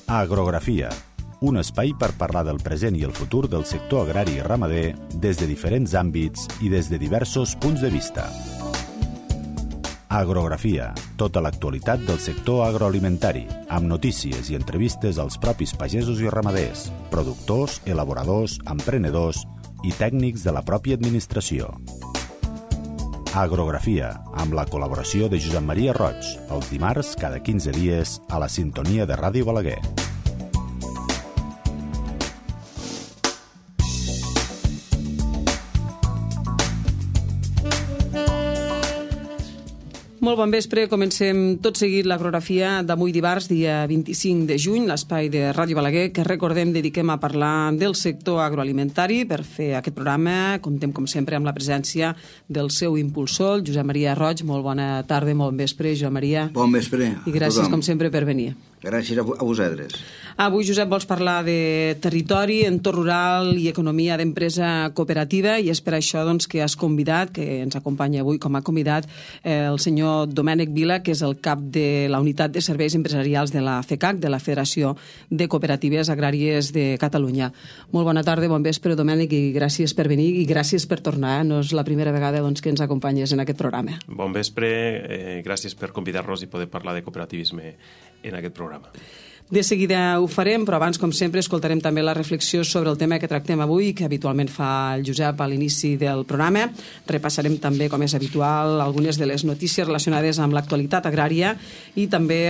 Agrografia, un espai per parlar del present i el futur del sector agrari i ramader des de diferents àmbits i des de diversos punts de vista. Agrografia, tota l'actualitat del sector agroalimentari, amb notícies i entrevistes als propis pagesos i ramaders, productors, elaboradors, emprenedors i tècnics de la pròpia administració. Agrografia, amb la col·laboració de Josep Maria Roig, els dimarts cada 15 dies a la sintonia de Ràdio Balaguer. Molt bon vespre, comencem tot seguit l'agrografia d'avui dimarts, dia 25 de juny, l'espai de Ràdio Balaguer, que recordem dediquem a parlar del sector agroalimentari. Per fer aquest programa comptem, com sempre, amb la presència del seu impulsor, Josep Maria Roig. Molt bona tarda, molt bon vespre, Josep Maria. Bon vespre. I gràcies, com sempre, per venir. Gràcies a vosaltres. Avui, Josep, vols parlar de territori, entorn rural i economia d'empresa cooperativa, i és per això que has convidat, que ens acompanya avui com a convidat, el senyor Domènec Vila, que és el cap de la Unitat de Serveis Empresarials de la FECAC, de la Federació de Cooperatives Agràries de Catalunya. Molt bona tarda, bon vespre, Domènec, i gràcies per venir i gràcies per tornar. No és la primera vegada que ens acompanyes en aquest programa. Bon vespre, gràcies per convidar-nos i poder parlar de cooperativisme en aquest programa. De seguida ho farem, però abans, com sempre, escoltarem també la reflexió sobre el tema que tractem avui, que habitualment fa el Josep a l'inici del programa. Repassarem també, com és habitual, algunes de les notícies relacionades amb l'actualitat agrària i també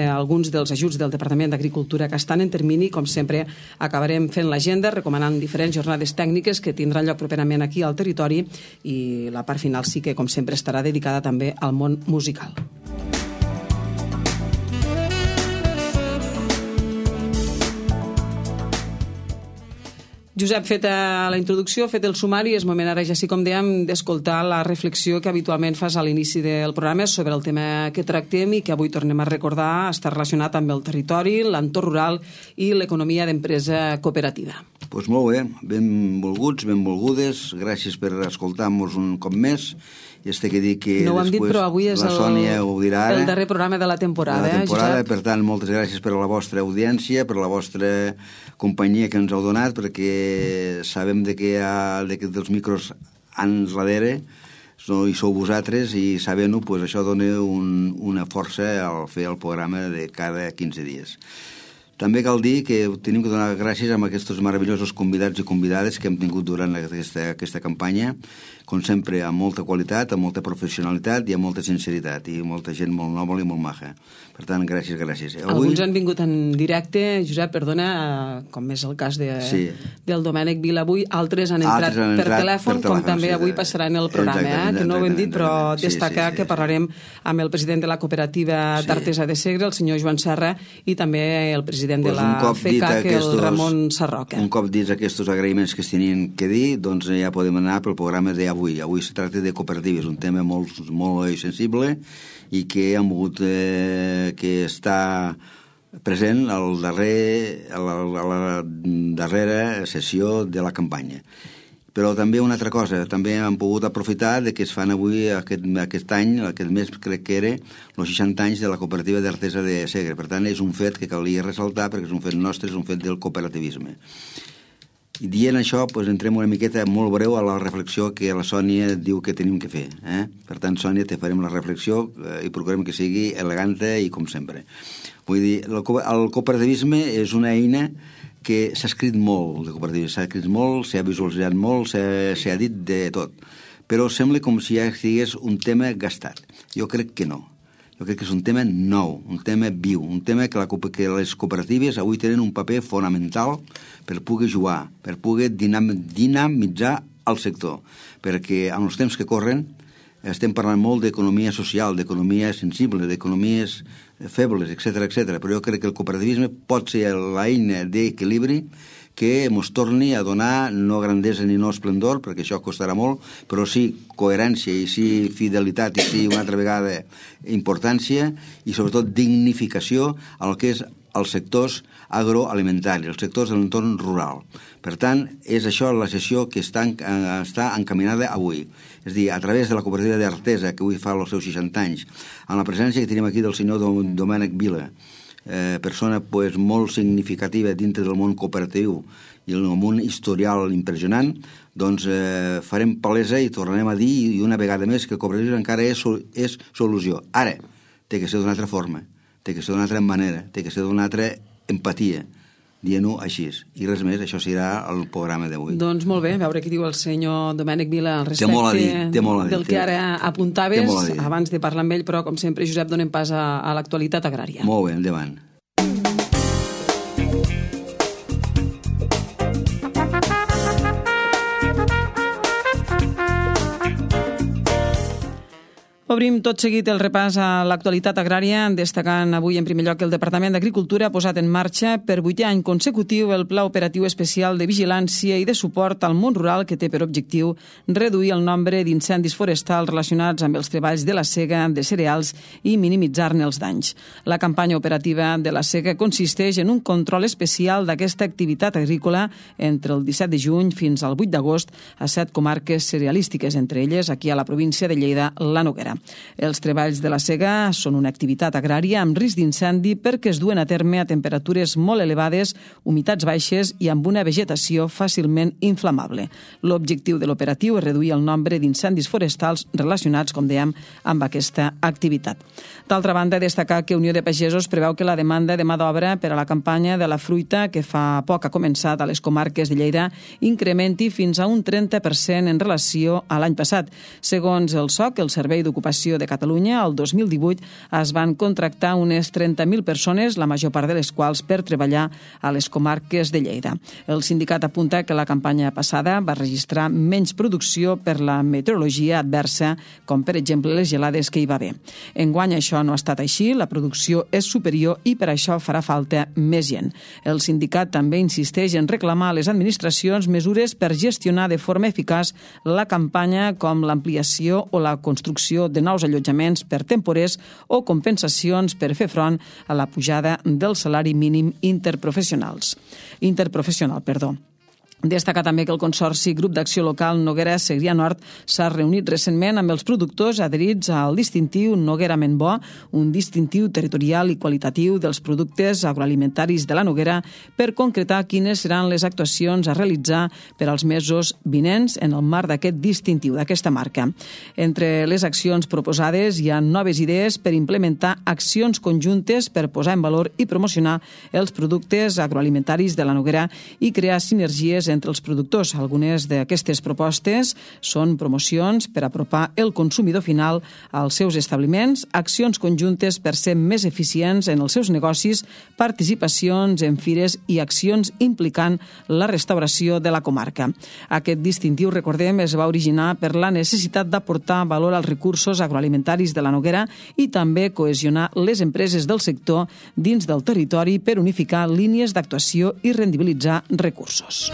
alguns dels ajuts del Departament d'Agricultura que estan en termini. Com sempre, acabarem fent l'agenda, recomanant diferents jornades tècniques que tindran lloc properament aquí al territori, i la part final sí que, com sempre, estarà dedicada també al món musical. Josep, feta la introducció, fet el sumari, és moment ara, ja sí com dèiem, d'escoltar la reflexió que habitualment fas a l'inici del programa sobre el tema que tractem i que avui tornem a recordar, està relacionat amb el territori, l'entorn rural i l'economia d'empresa cooperativa. Doncs molt bé, benvolguts, benvolgudes, gràcies per escoltar-nos un cop més. I que dir que no ho hem dit, però avui és el darrer programa de la temporada. Per tant, moltes gràcies per la vostra audiència, per la vostra companyia que ens heu donat, perquè sabem que dels micros ans darrere hi sou vosaltres, i sabent-ho, això dona una força al fer el programa de cada 15 dies. També cal dir que tenim que donar gràcies a aquests meravellosos convidats i convidades que hem tingut durant aquesta campanya, com sempre, amb molta qualitat, amb molta professionalitat i amb molta sinceritat, i molta gent molt nòbil i molt maja. Per tant, gràcies. Alguns han vingut en directe, Josep, perdona, com és el cas del Domènec Vila avui, altres han entrat per telèfon, com també avui passarà en el programa, que no ho hem dit, però destacar que parlarem amb el president de la cooperativa d'Artesa de Segre, el senyor Joan Serra, i també el president de la FECAC, el Ramon Sarroca. Un cop dits aquests agraïments que es tenien que dir, doncs ja podem anar pel programa d'avui. Avui es tracta de cooperatives, un tema molt sensible i que hem volgut que està present a la darrera sessió de la campanya. Però també una altra cosa, també hem pogut aprofitar que es fan avui aquest any, aquest mes crec que era, els 60 anys de la cooperativa d'Artesa de Segre. Per tant, és un fet que calia ressaltar perquè és un fet nostre, és un fet del cooperativisme. I dient això, entrem una miqueta molt breu a la reflexió que la Sònia diu que tenim que fer. Per tant, Sònia, te farem la reflexió i procurem que sigui elegante i com sempre. Vull dir, el cooperativisme és una eina que s'ha escrit molt, de cooperativisme. S'ha escrit molt, s'ha visualitzat molt, s'ha dit de tot. Però sembla com si ja estigués un tema gastat. Jo crec que no. Jo crec que és un tema nou, un tema viu, un tema que les cooperatives avui tenen un paper fonamental per poder jugar, per poder dinamitzar el sector. Perquè en els temps que corren estem parlant molt d'economia social, d'economia sensible, d'economies febles, etc. Però jo crec que el cooperativisme pot ser l'eina d'equilibri que ens torni a donar no grandesa ni no esplendor, perquè això costarà molt, però sí coherència i sí fidelitat i sí una altra vegada importància i sobretot dignificació al que és els sectors agroalimentaris, els sectors de l'entorn rural. Per tant, és això la sessió que està encaminada avui. És a dir, a través de la cooperativa d'Artesa, que avui fa els seus 60 anys, amb la presència que tenim aquí del senyor Domènec Vila, persona pues, molt significativa dintre del món cooperatiu i el món historial impressionant, doncs farem palesa i tornarem a dir i una vegada més que el cooperativisme encara és solució. Ara, té que ser d'una altra forma, té que ser d'una altra manera, té que ser d'una altra empatia, dient-ho així. I res més, això serà el programa d'avui. Doncs molt bé, a veure què diu el senyor Domènec Vila al Té molt a dir. del que ara apuntaves. Abans de parlar amb ell, però, com sempre, Josep, donem pas a l'actualitat agrària. Molt bé, endavant. Obrim tot seguit el repàs a l'actualitat agrària, destacant avui en primer lloc que el Departament d'Agricultura ha posat en marxa per 8è any consecutiu el Pla Operatiu Especial de Vigilància i de Suport al món rural que té per objectiu reduir el nombre d'incendis forestals relacionats amb els treballs de la sega de cereals i minimitzar-ne els danys. La campanya operativa de la sega consisteix en un control especial d'aquesta activitat agrícola entre el 17 de juny fins al 8 d'agost a 7 comarques cerealístiques, entre elles aquí a la província de Lleida, la Noguera. Els treballs de la sega són una activitat agrària amb risc d'incendi perquè es duen a terme a temperatures molt elevades, humitats baixes i amb una vegetació fàcilment inflamable. L'objectiu de l'operatiu és reduir el nombre d'incendis forestals relacionats, com dèiem, amb aquesta activitat. D'altra banda, destacar que Unió de Pagesos preveu que la demanda de mà d'obra per a la campanya de la fruita, que fa poc ha començat a les comarques de Lleida, incrementi fins a un 30% en relació a l'any passat. Segons el SOC, el Servei d'Ocupació de Catalunya, el 2018 es van contractar unes 30.000 persones, la major part de les quals per treballar a les comarques de Lleida. El sindicat apunta que la campanya passada va registrar menys producció per la meteorologia adversa, com per exemple les gelades que hi va haver. Enguany això no ha estat així, la producció és superior i per això farà falta més gent. El sindicat també insisteix en reclamar a les administracions mesures per gestionar de forma eficaç la campanya, com l'ampliació o la construcció de nous allotjaments per temporers o compensacions per fer front a la pujada del salari mínim interprofessional. Destacar també que el Consorci Grup d'Acció Local Noguera Segrià Nord s'ha reunit recentment amb els productors adherits al distintiu Noguera Menbó, un distintiu territorial i qualitatiu dels productes agroalimentaris de la Noguera, per concretar quines seran les actuacions a realitzar per als mesos vinents en el marc d'aquest distintiu, d'aquesta marca. Entre les accions proposades hi ha noves idees per implementar accions conjuntes per posar en valor i promocionar els productes agroalimentaris de la Noguera i crear sinergies entre els productors. Algunes d'aquestes propostes són promocions per apropar el consumidor final als seus establiments, accions conjuntes per ser més eficients en els seus negocis, participacions en fires i accions implicant la restauració de la comarca. Aquest distintiu, recordem, es va originar per la necessitat d'aportar valor als recursos agroalimentaris de la Noguera i també cohesionar les empreses del sector dins del territori per unificar línies d'actuació i rendibilitzar recursos.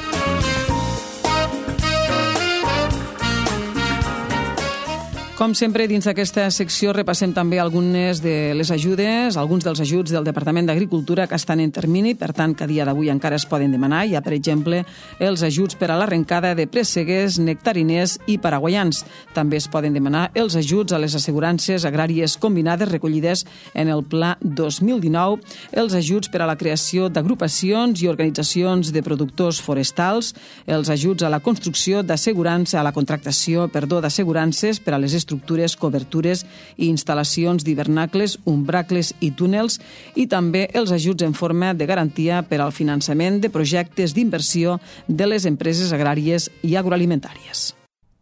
Com sempre, dins d'aquesta secció repassem també algunes de les ajudes, alguns dels ajuts del Departament d'Agricultura que estan en termini, per tant, que a dia d'avui encara es poden demanar. Hi ha, per exemple, els ajuts per a l'arrencada de présseguers, nectariners i paraguaians. També es poden demanar els ajuts a les assegurances agràries combinades recollides en el Pla 2019, els ajuts per a la creació d'agrupacions i organitzacions de productors forestals, els ajuts a la construcció d'assegurança, a la contractació, d'assegurances per a les estructures, cobertures i instal·lacions d'hivernacles, umbracles i túnels, i també els ajuts en forma de garantia per al finançament de projectes d'inversió de les empreses agràries i agroalimentàries.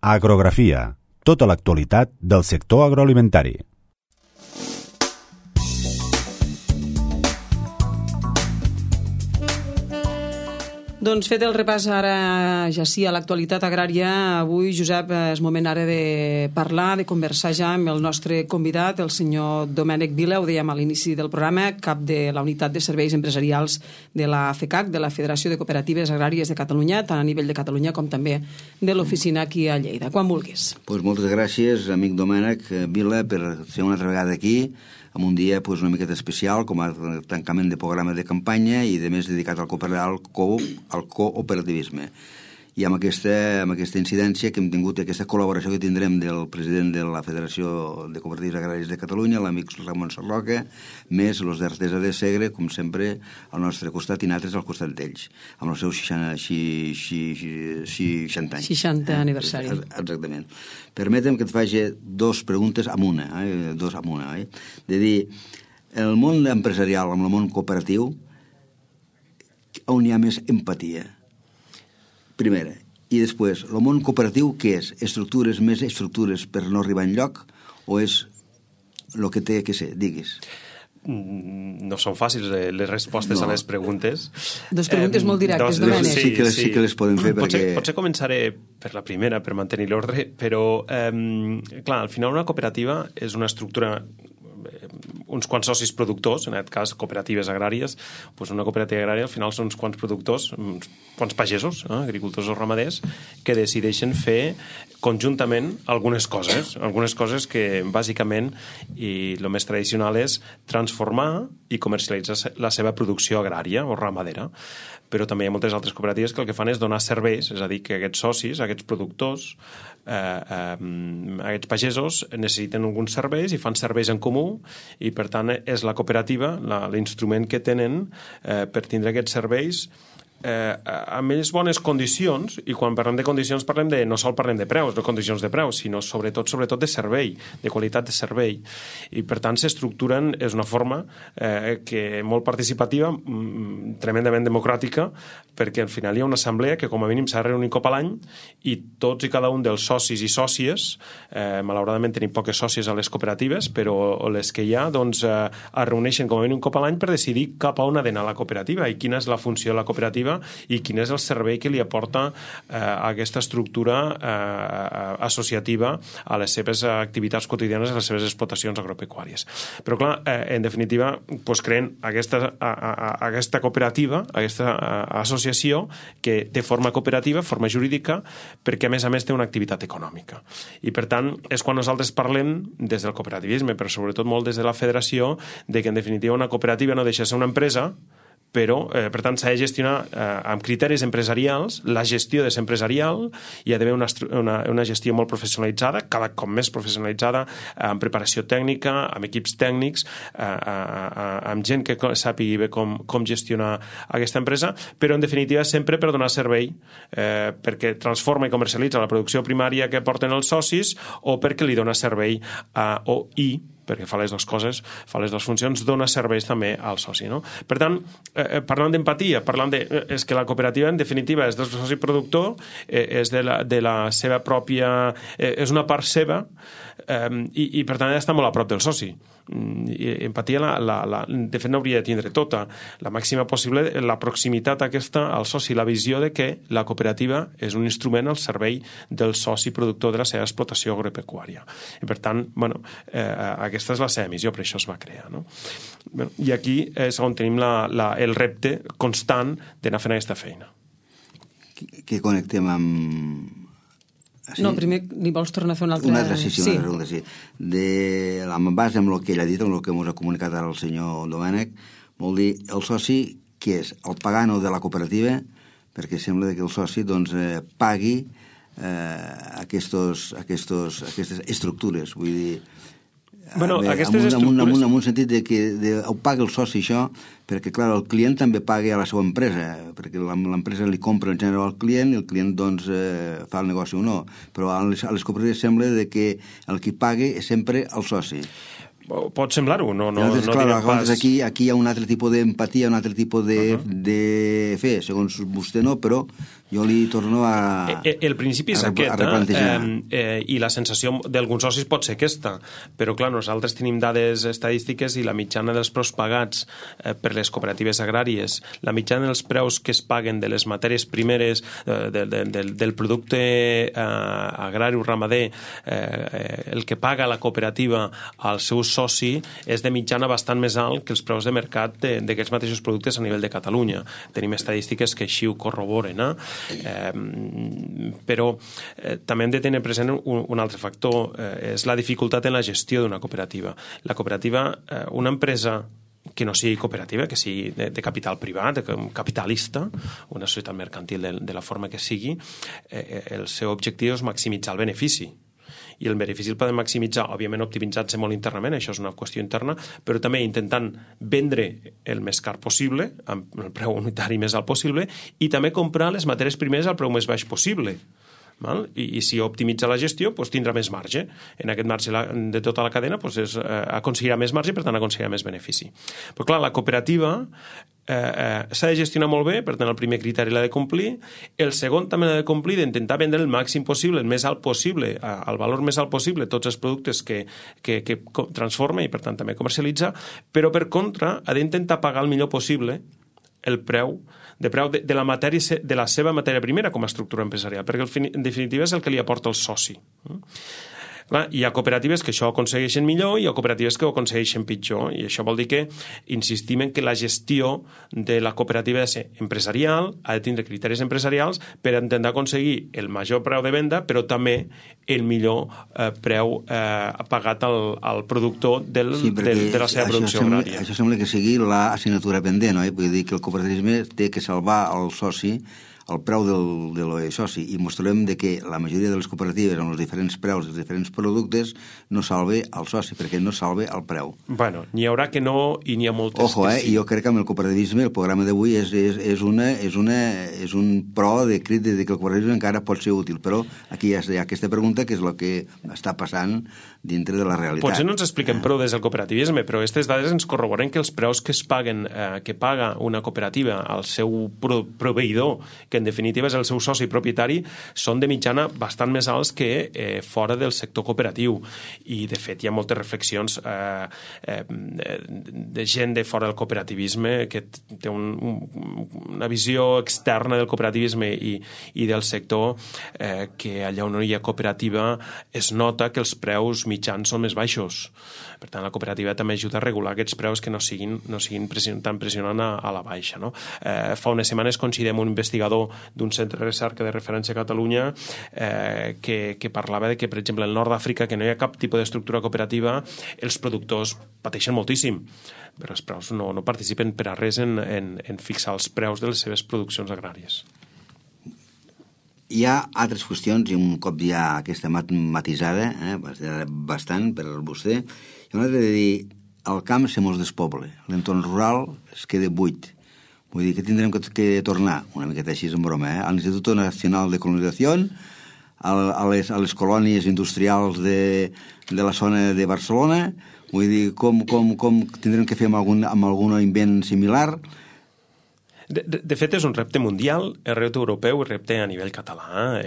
Agrografia. Tota l'actualitat del sector agroalimentari. Doncs fet el repàs ara ja sí a l'actualitat agrària, avui, Josep, és moment ara de parlar, de conversar ja amb el nostre convidat, el senyor Domènec Vila, ho dèiem a l'inici del programa, cap de la Unitat de Serveis Empresarials de la FECAC, de la Federació de Cooperatives Agràries de Catalunya, tant a nivell de Catalunya com també de l'oficina aquí a Lleida. Quan vulguis. Pues moltes gràcies, amic Domènec Vila, per ser una altra vegada aquí, en un dia pues, una miqueta especial, com a tancament de programa de campanya i, de més, dedicat al cooperativisme. i amb aquesta incidència que hem tingut, aquesta col·laboració que tindrem del president de la Federació de Cooperatives Agràries de Catalunya, l'amic Ramon Sarroca, més els d'Artesa de Segre, com sempre, al nostre costat i nosaltres al costat d'ells, amb els seus 60 anys. 60 aniversari. Exactament. Permetem que et faci dues preguntes amb una, de dir, el món empresarial amb el món cooperatiu, on hi ha més empatia? Primera. I després, el món cooperatiu què és? Més estructures per no arribar enlloc o és el que té que ser? Digues. No són fàcils les respostes a les preguntes. Dos preguntes molt directes, Domènec. Sí que les podem fer perquè... Potser començaré per la primera, per mantenir l'ordre, però, clar, al final una cooperativa és una estructura, uns quants socis productors, en aquest cas cooperatives agràries, doncs una cooperativa agrària al final són uns quants productors, uns quants pagesos, agricultors o ramaders, que decideixen fer conjuntament algunes coses que bàsicament i el més tradicional és transformar i comercialitzar la seva producció agrària o ramadera. Però també hi ha moltes altres cooperatives que el que fan és donar serveis, és a dir, que aquests socis, aquests productors, aquests pagesos necessiten alguns serveis i fan serveis en comú i per tant és la cooperativa l'instrument que tenen per tindre aquests serveis amb més bones condicions, i quan parlem de condicions no sol parlem de preus, de condicions de preus, sinó sobretot de servei, de qualitat de servei, i per tant s'estructuren, és una forma que molt participativa, tremendament democràtica, perquè al final hi ha una assemblea que com a mínim s'ha de reunir un cop a l'any i tots i cada un dels socis i sòcies, malauradament tenim poques sòcies a les cooperatives, però les que hi ha doncs es reuneixen com a mínim un cop a l'any per decidir cap a on ha d'anar la cooperativa i quina és la funció de la cooperativa i quin és el servei que li aporta aquesta estructura associativa a les seves activitats quotidianes, a les seves explotacions agropecuàries. Però clar, en definitiva, doncs creen aquesta cooperativa, aquesta associació que té forma cooperativa, forma jurídica, perquè a més té una activitat econòmica. I per tant, és quan nosaltres parlem des del cooperativisme, però sobretot molt des de la federació, de que en definitiva una cooperativa no deixa de ser una empresa, però, per tant, s'ha de gestionar amb criteris empresarials, la gestió de ser empresarial, hi ha d'haver una gestió molt professionalitzada, cada cop més professionalitzada, amb preparació tècnica, amb equips tècnics, amb gent que sàpiga bé com gestionar aquesta empresa, però, en definitiva, sempre per donar servei, perquè transforma i comercialitza la producció primària que porten els socis o perquè li dona servei perquè fa les dues coses, fa les dues funcions, dona serveis també al soci. No? Per tant, parlant d'empatia, és que la cooperativa, en definitiva, és del soci productor, és de la seva pròpia... és una part seva i per tant, està molt a prop del soci. Empatia, de fet, n'hauria de tindre tota, la màxima possible, la proximitat aquesta al soci, la visió de que la cooperativa és un instrument al servei del soci productor de la seva explotació agropecuària. I per tant, aquesta és la seva missió, per això es va crear. No? I aquí és on tenim el repte constant d'anar fent aquesta feina. Que connectem amb... Sí? No, primer ni vols tornar a fer una altra... Una altra pregunta, sí. Amb base en el que ell ha dit, en el que ens ha comunicat ara el senyor Domènec, vol dir, el soci, què és? El pagano de la cooperativa, perquè sembla que el soci pagui aquestes estructures, vull dir... Aquestes estructures... En un sentit que ho paga el soci això, perquè, clar, el client també paga a la seva empresa, perquè l'empresa li compra en general al client i el client, fa el negoci o no. Però a les cooperatives sembla que el qui paga és sempre el soci. Pot semblar-ho, no diré pas... Aquí hi ha un altre tipus d'empatia, un altre tipus de fer, segons vostè no, però jo li torno a el principi és aquest, i la sensació d'alguns socis pot ser aquesta, però clar, nosaltres tenim dades estadístiques i la mitjana dels preus pagats per les cooperatives agràries, la mitjana dels preus que es paguen de les matèries primeres del producte agrari o ramader, el que paga la cooperativa als seus soci és de mitjana bastant més alt que els preus de mercat d'aquests mateixos productes a nivell de Catalunya. Tenim estadístiques que així ho corroboren, però també hem de tenir present un altre factor, és la dificultat en la gestió d'una cooperativa. La cooperativa, una empresa que no sigui cooperativa, que sigui de capital privat, capitalista, una societat mercantil de la forma que sigui, el seu objectiu és maximitzar el benefici. I el benefici el podem maximitzar, òbviament optimitzant-se molt internament, això és una qüestió interna, però també intentant vendre el més car possible, amb el preu unitari més alt possible, i també comprar les matèries primeres al preu més baix possible. I si optimitza la gestió, tindrà més marge. En aquest marge de tota la cadena aconseguirà més marge i, per tant, aconseguirà més benefici. Però, clar, la cooperativa s'ha de gestionar molt bé, per tant, el primer criteri l'ha de complir. El segon també l'ha de complir, d'intentar vendre el màxim possible, el més alt possible, el valor més alt possible, tots els productes que transforma i, per tant, també comercialitza, però, per contra, ha d'intentar pagar el millor possible el preu de la seva matèria primera com a estructura empresarial, perquè en definitiva és el que li aporta el soci. Clar, hi ha cooperatives que això ho aconsegueixen millor i hi ha cooperatives que ho aconsegueixen pitjor, i això vol dir que insistim en que la gestió de la cooperativa ha de ser empresarial, ha de tindre criteris empresarials per intentar aconseguir el major preu de venda, però també el millor preu pagat al productor de la seva producció agrària. Això sembla que sigui l'assignatura pendent, oi? Vull dir que el cooperativisme té que salvar el soci el preu del soci, i mostrarem que la majoria de les cooperatives amb els diferents preus dels diferents productes no salve el soci, perquè no salve el preu. Bueno, n'hi haurà que no i n'hi ha moltes que sí. Jo crec que amb el cooperativisme el programa d'avui és un pro de crit de que el cooperativisme encara pot ser útil, però aquí hi ha aquesta pregunta que és el que està passant dintre de la realitat. Potser no ens expliquem prou des del cooperativisme, però aquestes dades ens corroboren que els preus que paga una cooperativa al seu proveïdor, que en definitiva és el seu soci propietari, són de mitjana bastant més alts que fora del sector cooperatiu. I, de fet, hi ha moltes reflexions de gent de fora del cooperativisme que té una visió externa del cooperativisme i del sector que allà on no hi ha cooperativa es nota que els preus mitjans són més baixos. Per tant, la cooperativa també ajuda a regular aquests preus que no siguin tan pressionant a la baixa. No? Fa unes setmanes coincidem un investigador d'un centre de recerca de referència a Catalunya que parlava de que, per exemple, al nord d'Àfrica, que no hi ha cap tipus d'estructura cooperativa, els productors pateixen moltíssim, però els preus no participen per a res en fixar els preus de les seves produccions agràries. Hi ha altres qüestions, i un cop ja aquesta matisada, bastant per vostè, hi ha una altra de dir, el camp se mos despoble, l'entorn rural es queda buit. Vull dir que tindrem que tornar, una miqueta així en broma, a l'Institut Nacional de Colonització, a les colònies industrials de la zona de Barcelona. Vull dir, com tindrem que fer amb algun invent similar. De fet, és un repte mundial, el repte europeu, el repte a nivell català.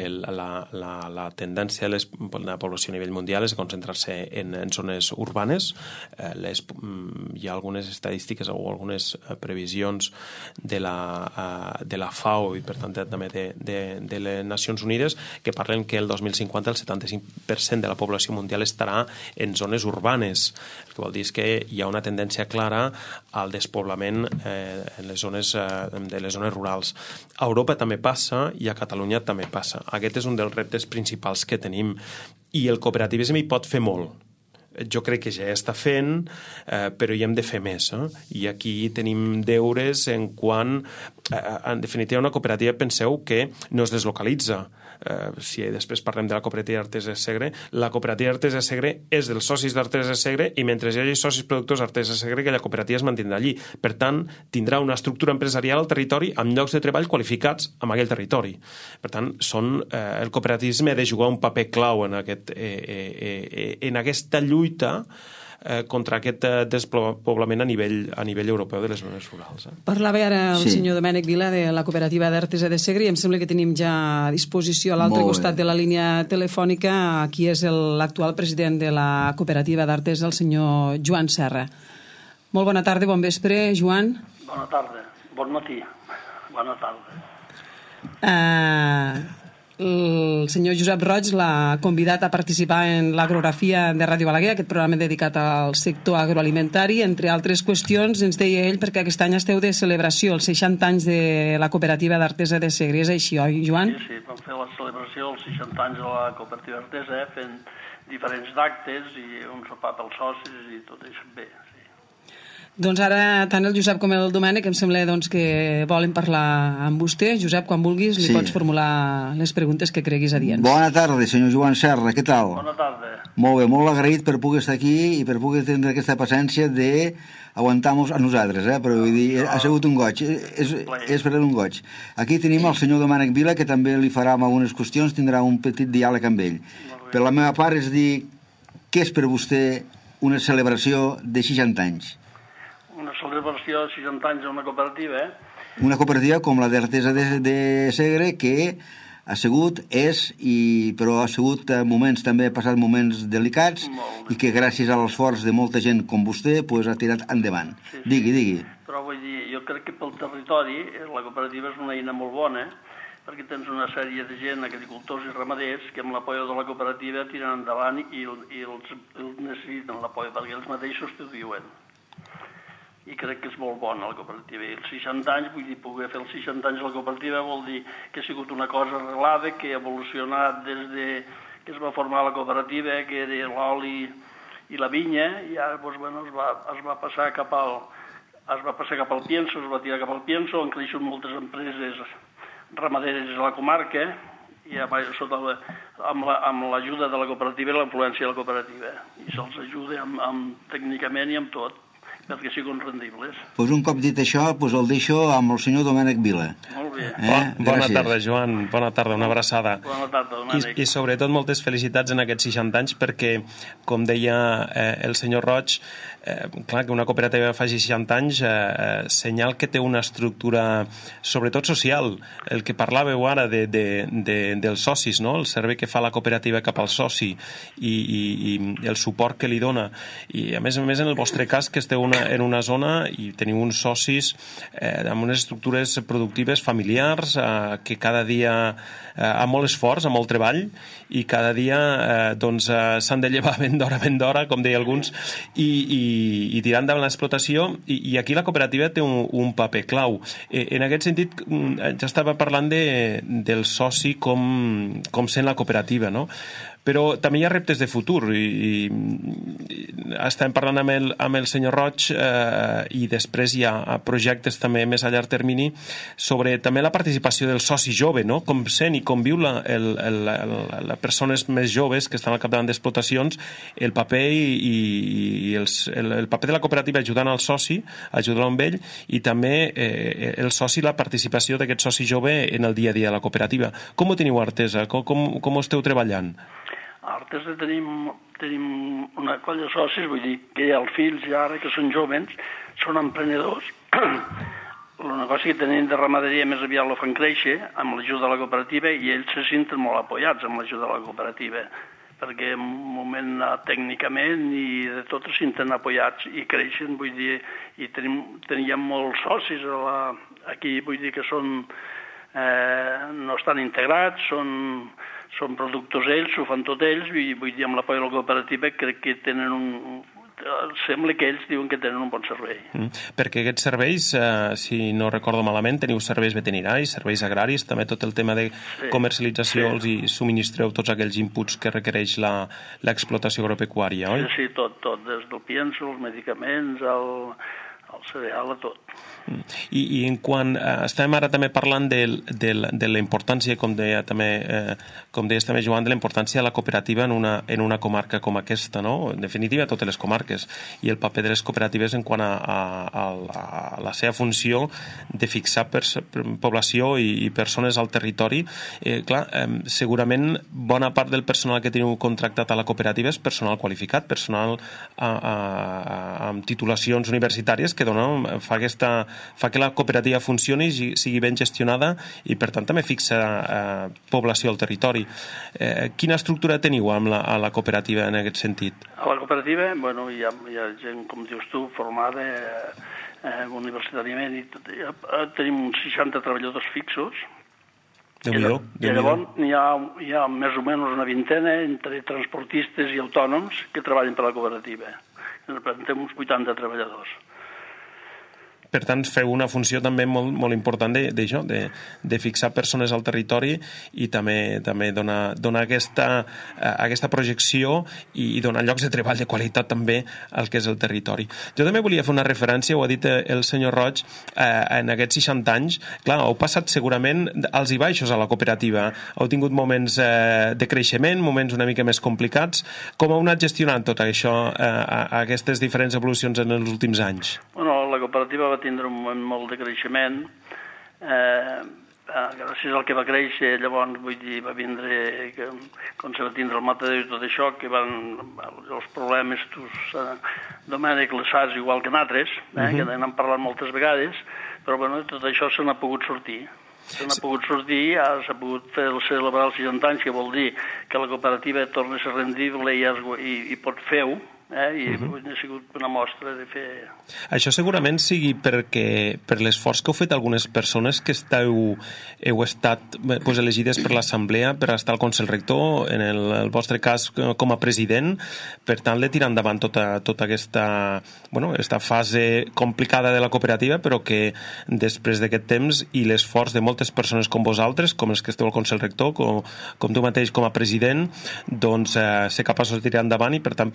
La tendència de la població a nivell mundial és concentrar-se en zones urbanes. Hi ha algunes estadístiques o algunes previsions de la FAO i, per tant, també de les Nacions Unides que parlen que el 2050 el 75% de la població mundial estarà en zones urbanes. El que vol dir és que hi ha una tendència clara al despoblament en les zones rurals. A Europa també passa i a Catalunya també passa. Aquest és un dels reptes principals que tenim i el cooperativisme hi pot fer molt. Jo crec que ja està fent, però hi hem de fer més. I aquí tenim deures en quant, en definitiva, una cooperativa, penseu que no es deslocalitza. Si després parlem de la cooperativa d'Artés de Segre, la cooperativa d'Artés de Segre és dels socis d'Artés de Segre i mentre hi hagi socis productors d'Artés de Segre, aquella cooperativa es mantindrà allí. Per tant, tindrà una estructura empresarial al territori amb llocs de treball qualificats en aquell territori. Per tant, el cooperativisme ha de jugar un paper clau en aquesta lluita contra aquest despoblament a nivell europeu de les zones rurals. Parlava ara el senyor Domènec Vila de la cooperativa d'Artesa de Segre i em sembla que tenim ja a disposició a l'altre costat de la línia telefònica qui és l'actual president de la cooperativa d'Artesa, el senyor Joan Serra. Molt bona tarda, bon vespre, Joan. Bona tarda, bon matí, bona tarda. El senyor Josep Roig l'ha convidat a participar en l'Agrografia de Ràdio Balaguer, aquest programa dedicat al sector agroalimentari. Entre altres qüestions, ens deia ell, perquè aquest any esteu de celebració, els 60 anys de la cooperativa d'Artesa de Segre. És així, oi, Joan? Sí, vam fer la celebració dels 60 anys de la cooperativa d'Artesa, fent diferents actes i un sopar pels socis i tot això bé, sí. Doncs ara tant el Josep com el Domènec em sembla doncs, que volen parlar amb vostè. Josep, quan vulguis li pots formular les preguntes que creguis adients. Bona tarda, senyor Joan Serra, què tal? Bona tarda. Molt bé, molt agraït per poder estar aquí i per poder tenir aquesta paciència d'aguantar-nos a nosaltres, però vull dir, ha sigut un goig, és per un goig. Aquí tenim el senyor Domènec Vila, que també li farà algunes qüestions, tindrà un petit diàleg amb ell. Per la meva part és dir, què és per vostè una celebració de 60 anys? Una celebració de 60 anys a una cooperativa, Una cooperativa com la d'Artesa de Segre, que ha sigut, però ha sigut moments, també ha passat moments delicats i que gràcies a l'esforç de molta gent com vostè ha tirat endavant. Sí. Digui. Però vull dir, jo crec que pel territori la cooperativa és una eina molt bona, perquè tens una sèrie de gent, agricultors i ramaders, que amb l'apoio de la cooperativa tiren endavant i els necessiten l'apoio, perquè ells mateixos t'ho diuen. I crec que és molt bona la cooperativa. I els 60 anys, vull dir, poder fer els 60 anys a la cooperativa vol dir que ha sigut una cosa arreglada, que ha evolucionat des de que es va formar la cooperativa, que era l'oli i la vinya, i ara doncs, bueno, es va passar cap al pienso, es va tirar cap al pienso, han creixut moltes empreses ramaderes a la comarca, i amb l'ajuda de la cooperativa i la influència de la cooperativa. I se'ls ajuda tècnicament i amb tot, perquè siguin rendibles. Un cop dit això, el deixo amb el senyor Domènec Vila. Molt bé. Bona tarda, Joan. Bona tarda, una abraçada. Bona tarda, Domènec. I sobretot moltes felicitats en aquests 60 anys perquè, com deia el senyor Roig, clar, que una cooperativa faci 60 anys senyal que té una estructura sobretot social. El que parlàveu ara dels socis, no? El servei que fa la cooperativa cap al soci i el suport que li dona. I a més en el vostre cas, que esteu en una zona i teniu uns socis amb unes estructures productives familiars que cada dia amb molt esforç, amb molt treball, i cada dia s'han de llevar ben d'hora, com deia alguns, i tirar endavant l'explotació, i aquí la cooperativa té un paper clau. En aquest sentit, ja estava parlant del soci com sent la cooperativa, no? Però també hi ha reptes de futur i estem parlant amb el senyor Roig i després hi ha projectes també més a llarg termini sobre també la participació del soci jove, no? Com sent i com viu les persones més joves que estan al capdavant d'explotacions, el paper el paper de la cooperativa ajudant al soci, ajudant amb ell, i també el soci, la participació d'aquest soci jove en el dia a dia de la cooperativa. Com ho teniu a Artesa? Com ho esteu treballant? A Artesa tenim una colla de socis, vull dir que hi ha els fills ja ara que són jóvens, són emprenedors. El negoci que tenim de ramaderia més aviat lo fan créixer amb l'ajuda de la cooperativa i ells se senten molt apoyats amb l'ajuda de la cooperativa, perquè en un moment tècnicament i de tot se senten apoyats i creixen, vull dir, i teníem molts socis aquí, vull dir que no estan integrats, són productors ells, ho fan tot ells, i vull dir, amb l'apoio de la cooperativa crec que sembla que ells diuen que tenen un bon servei. Perquè aquests serveis, si no recordo malament, teniu serveis veterinaris, serveis agraris, també tot el tema de comercialització, els hi subministreu tots aquells inputs que requereix l'explotació agropecuària, oi? Sí, tot, des del pienso, els medicaments, el cereal, a tot. I en quan estem ara també parlant de la importància, com deies també, Joan, de la importància de la cooperativa en una comarca com aquesta, no? En definitiva, totes les comarques, i el paper de les cooperatives en quant a la seva funció de fixar població i persones al territori. Clar, segurament bona part del personal que teniu contractat a la cooperativa és personal qualificat, personal amb titulacions universitàries que fa que la cooperativa funcioni i sigui ben gestionada i per tant també fixa població al territori. Quina estructura teniu a la cooperativa en aquest sentit? A la cooperativa, bueno, hi ha gent, com dius tu, formada universitàriament, i tenim uns 60 treballadors fixos. I llavors hi ha més o menys una vintena entre transportistes i autònoms que treballen per la cooperativa. Tenim uns 80 treballadors. per tant feu una funció també molt important d'això, de fixar persones al territori i també donar aquesta projecció i donar llocs de treball de qualitat també al que és el territori. Jo també volia fer una referència, ho ha dit el senyor Roig, en aquests 60 anys, clar, heu passat segurament alts i baixos a la cooperativa, heu tingut moments de creixement, moments una mica més complicats. Com heu anat gestionant tot això, aquestes diferents evolucions en els últims anys? Bueno, la cooperativa va tindre un moment molt de creixement, gràcies al que va créixer, llavors, vull dir, va vindre, quan se va tindre el matador i tot això, que van els problemes, Domènec, les SARS, igual que nosaltres, que n'hem parlat moltes vegades, però bueno, tot això se n'ha pogut sortir. S'ha pogut sortir, s'ha pogut celebrar els 60 anys, que vol dir que la cooperativa torna a ser rendible i pot fer-ho, i ha sigut una mostra de fer... Això segurament sigui per l'esforç que heu fet algunes persones que heu estat elegides per l'Assemblea per estar al Consell Rector, en el vostre cas com a president, per tant de tirar endavant tota aquesta fase complicada de la cooperativa, però que després d'aquest temps i l'esforç de moltes persones com vosaltres, com els que esteu al Consell Rector, com tu mateix com a president, doncs ser capaços de tirar endavant i per tant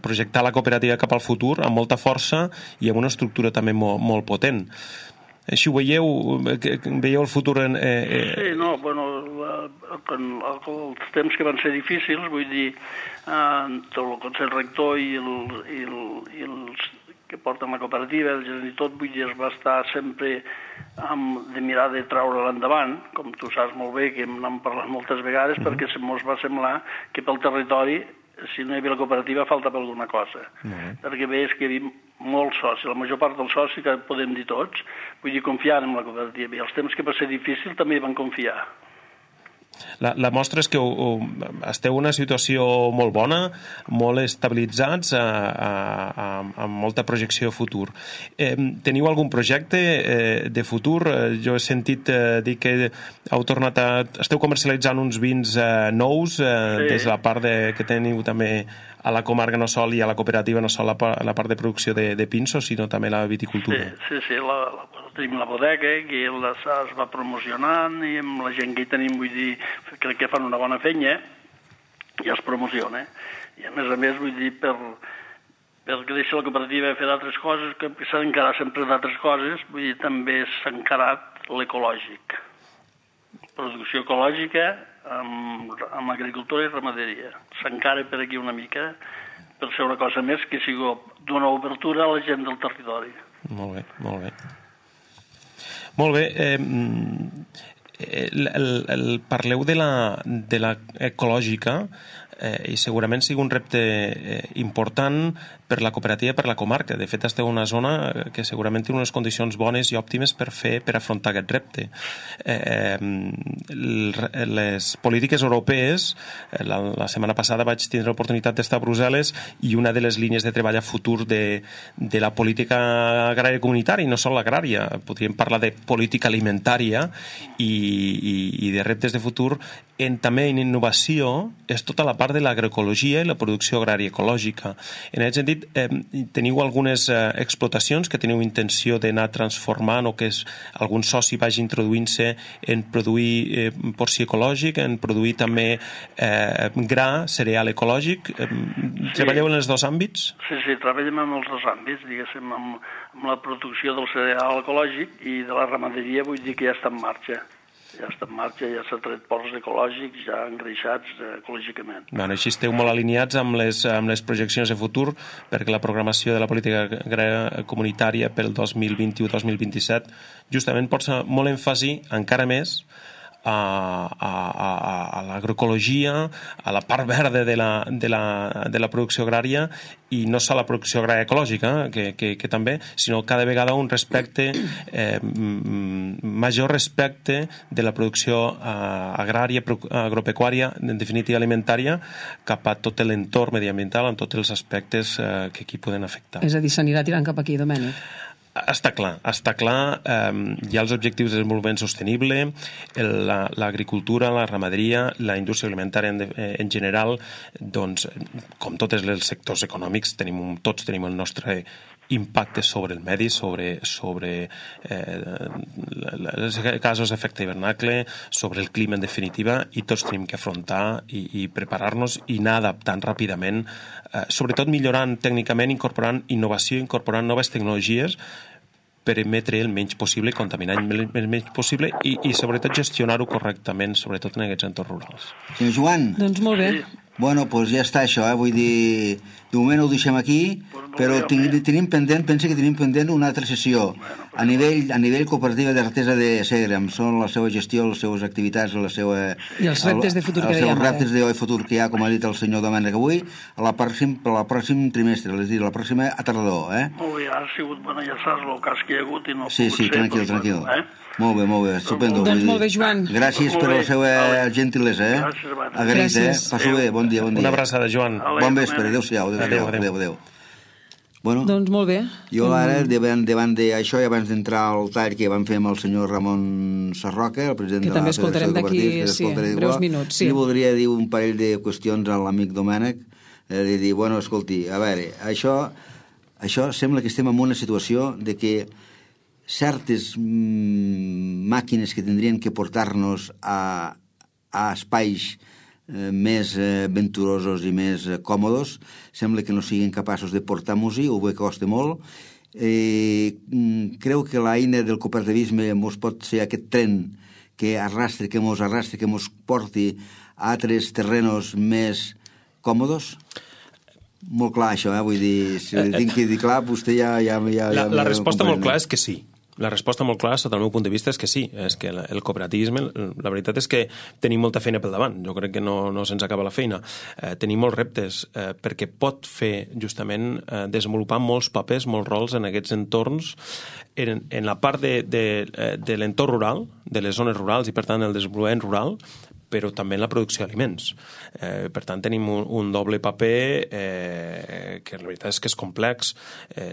projectar la cooperativa cap al futur amb molta força i amb una estructura també molt potent. Així ho veieu el futur Sí, no, bueno, els temps que van ser difícils, vull dir, tot el Consell Rector i els que porten la cooperativa, el gerent i tot, vull dir, es va estar sempre de mirar de treure-la endavant, com tu saps molt bé, que n'hem parlat moltes vegades, perquè ens va semblar que pel territori, si no hi havia la cooperativa, faltava alguna cosa. Perquè veus que hi havia molts socis, la major part dels socis, que podem dir tots, vull dir, confiant en la cooperativa. I els temps que va ser difícil també hi van confiar. La mostra és que esteu en una situació molt bona, molt estabilitzats, amb molta projecció a futur. Teniu algun projecte de futur? Jo he sentit dir que esteu comercialitzant uns vins nous des de la part que teniu també a la comarca no sol i a la cooperativa no sol la part de producció de pinsos, sinó també la viticultura. Sí, tenim la bodega, que es va promocionant i amb la gent que hi tenim, vull dir, crec que fan una bona feina i es promociona. I a més, vull dir, perquè deixa la cooperativa fer d'altres coses, que s'ha d'encarar sempre d'altres coses, vull dir, també s'ha encarat l'ecològic. Producció ecològica amb agricultura i ramaderia. S'encara per aquí una mica per ser una cosa més que sigui d'una obertura a la gent del territori. Molt bé, molt bé. Molt bé. Parleu de la ecològica i segurament sigui un repte important per la cooperativa, per la comarca. De fet, esteu en una zona que segurament té unes condicions bones i òptimes per afrontar aquest repte. Les polítiques europees, la setmana passada vaig tindre l'oportunitat d'estar a Brussel·les i una de les línies de treball a futur de la política agrària comunitària, i no sols l'agrària, podríem parlar de política alimentària i de reptes de futur, també en innovació, és tota la part de l'agroecologia i la producció agrària ecològica. En aquest sentit, teniu algunes explotacions que teniu intenció d'anar transformant o que algun soci vagi introduint-se en produir porcí ecològic, en produir també gra, cereal ecològic. Treballeu en els dos àmbits? Sí, treballem en els dos àmbits, diguéssim, amb la producció del cereal ecològic i de la ramaderia, vull dir que ja està en marxa. Ja s'ha tret porcs ecològics, ja engreixats ecològicament. Així esteu molt alineats amb les projeccions de futur, perquè la programació de la política agrària comunitària pel 2021-2027 justament posa molt èmfasi, encara més, a l'agroecologia, a la part verda de la producció agrària, i no sols la producció agrària ecològica, que també, sinó cada vegada un respecte, major respecte de la producció agrària, agropecuària, en definitiva alimentària, cap a tot l'entorn mediambiental, en tots els aspectes que aquí poden afectar. És a dir, s'anirà tirant cap aquí, Domènec? Està clar. Hi ha els objectius de desenvolupament sostenible, l'agricultura, la ramaderia, la indústria alimentària en general, doncs, com tots els sectors econòmics, tots tenim el nostre impactes sobre el medi, sobre els gasos d'efecte hivernacle, sobre el clima en definitiva, i tots tenim que afrontar i preparar-nos i anar adaptant ràpidament, sobretot millorant tècnicament, incorporant innovació, incorporant noves tecnologies per emetre el menys possible, contaminar el menys possible i sobretot gestionar-ho correctament, sobretot en aquests entorns rurals. Senyor Joan? Doncs molt bé. Bueno, doncs ja està això, vull dir, de moment ho deixem aquí, però tenim pendent, pensa que tenim pendent una altra sessió a nivell cooperativa d'Artesa de Segre, amb la seva gestió, les seves activitats, la seva... I els reptes de futur que dèiem. Els reptes de futur que hi ha, com ha dit el senyor Domènec avui, a la pròxim trimestre, és a dir, la pròxima a tardor, Molt bé, ha sigut bona enllaçar-lo el cas que hi ha hagut i no... Sí, tranquil. Molt bé, estupendo. Doncs molt bé, Joan. Gràcies per la seva gentilesa, Gràcies. Passo bé, bon dia. Una abraçada, Joan. Bon vespre, adéu-siau. Adéu. Bueno, doncs molt bé. Jo ara, davant d'això, i abans d'entrar al tall que vam fer amb el senyor Ramon Sarroca, el president de la Federació de Cooperatives, que també escoltarem d'aquí breus minuts. Sí. Li voldria dir un parell de qüestions a l'amic Domènec, de dir, bueno, escolti, a veure, això sembla que estem en una situació de que certes màquines que tindrien que portar-nos a espais més venturosos i més còmodes sembla que no siguin capaços de portar-nos-hi, o bé costa molt. Creu que l'eina del cooperativisme mos pot ser aquest tren que mos porti a altres terrenos més còmodes? Molt clar això, vull dir, si li tinc que dir clar, vostè ja... La resposta molt clara és que sí. La resposta molt clara, sota el meu punt de vista, és que sí. És que el cooperativisme, la veritat és que tenim molta feina pel davant. Jo crec que no se'ns acaba la feina. Tenim molts reptes, perquè pot fer, justament, desenvolupar molts papers, molts rols en aquests entorns, en la part de l'entorn rural, de les zones rurals i, per tant, el desenvolupament rural, però també en la producció d'aliments. Per tant, tenim un doble paper que la veritat és que és complex,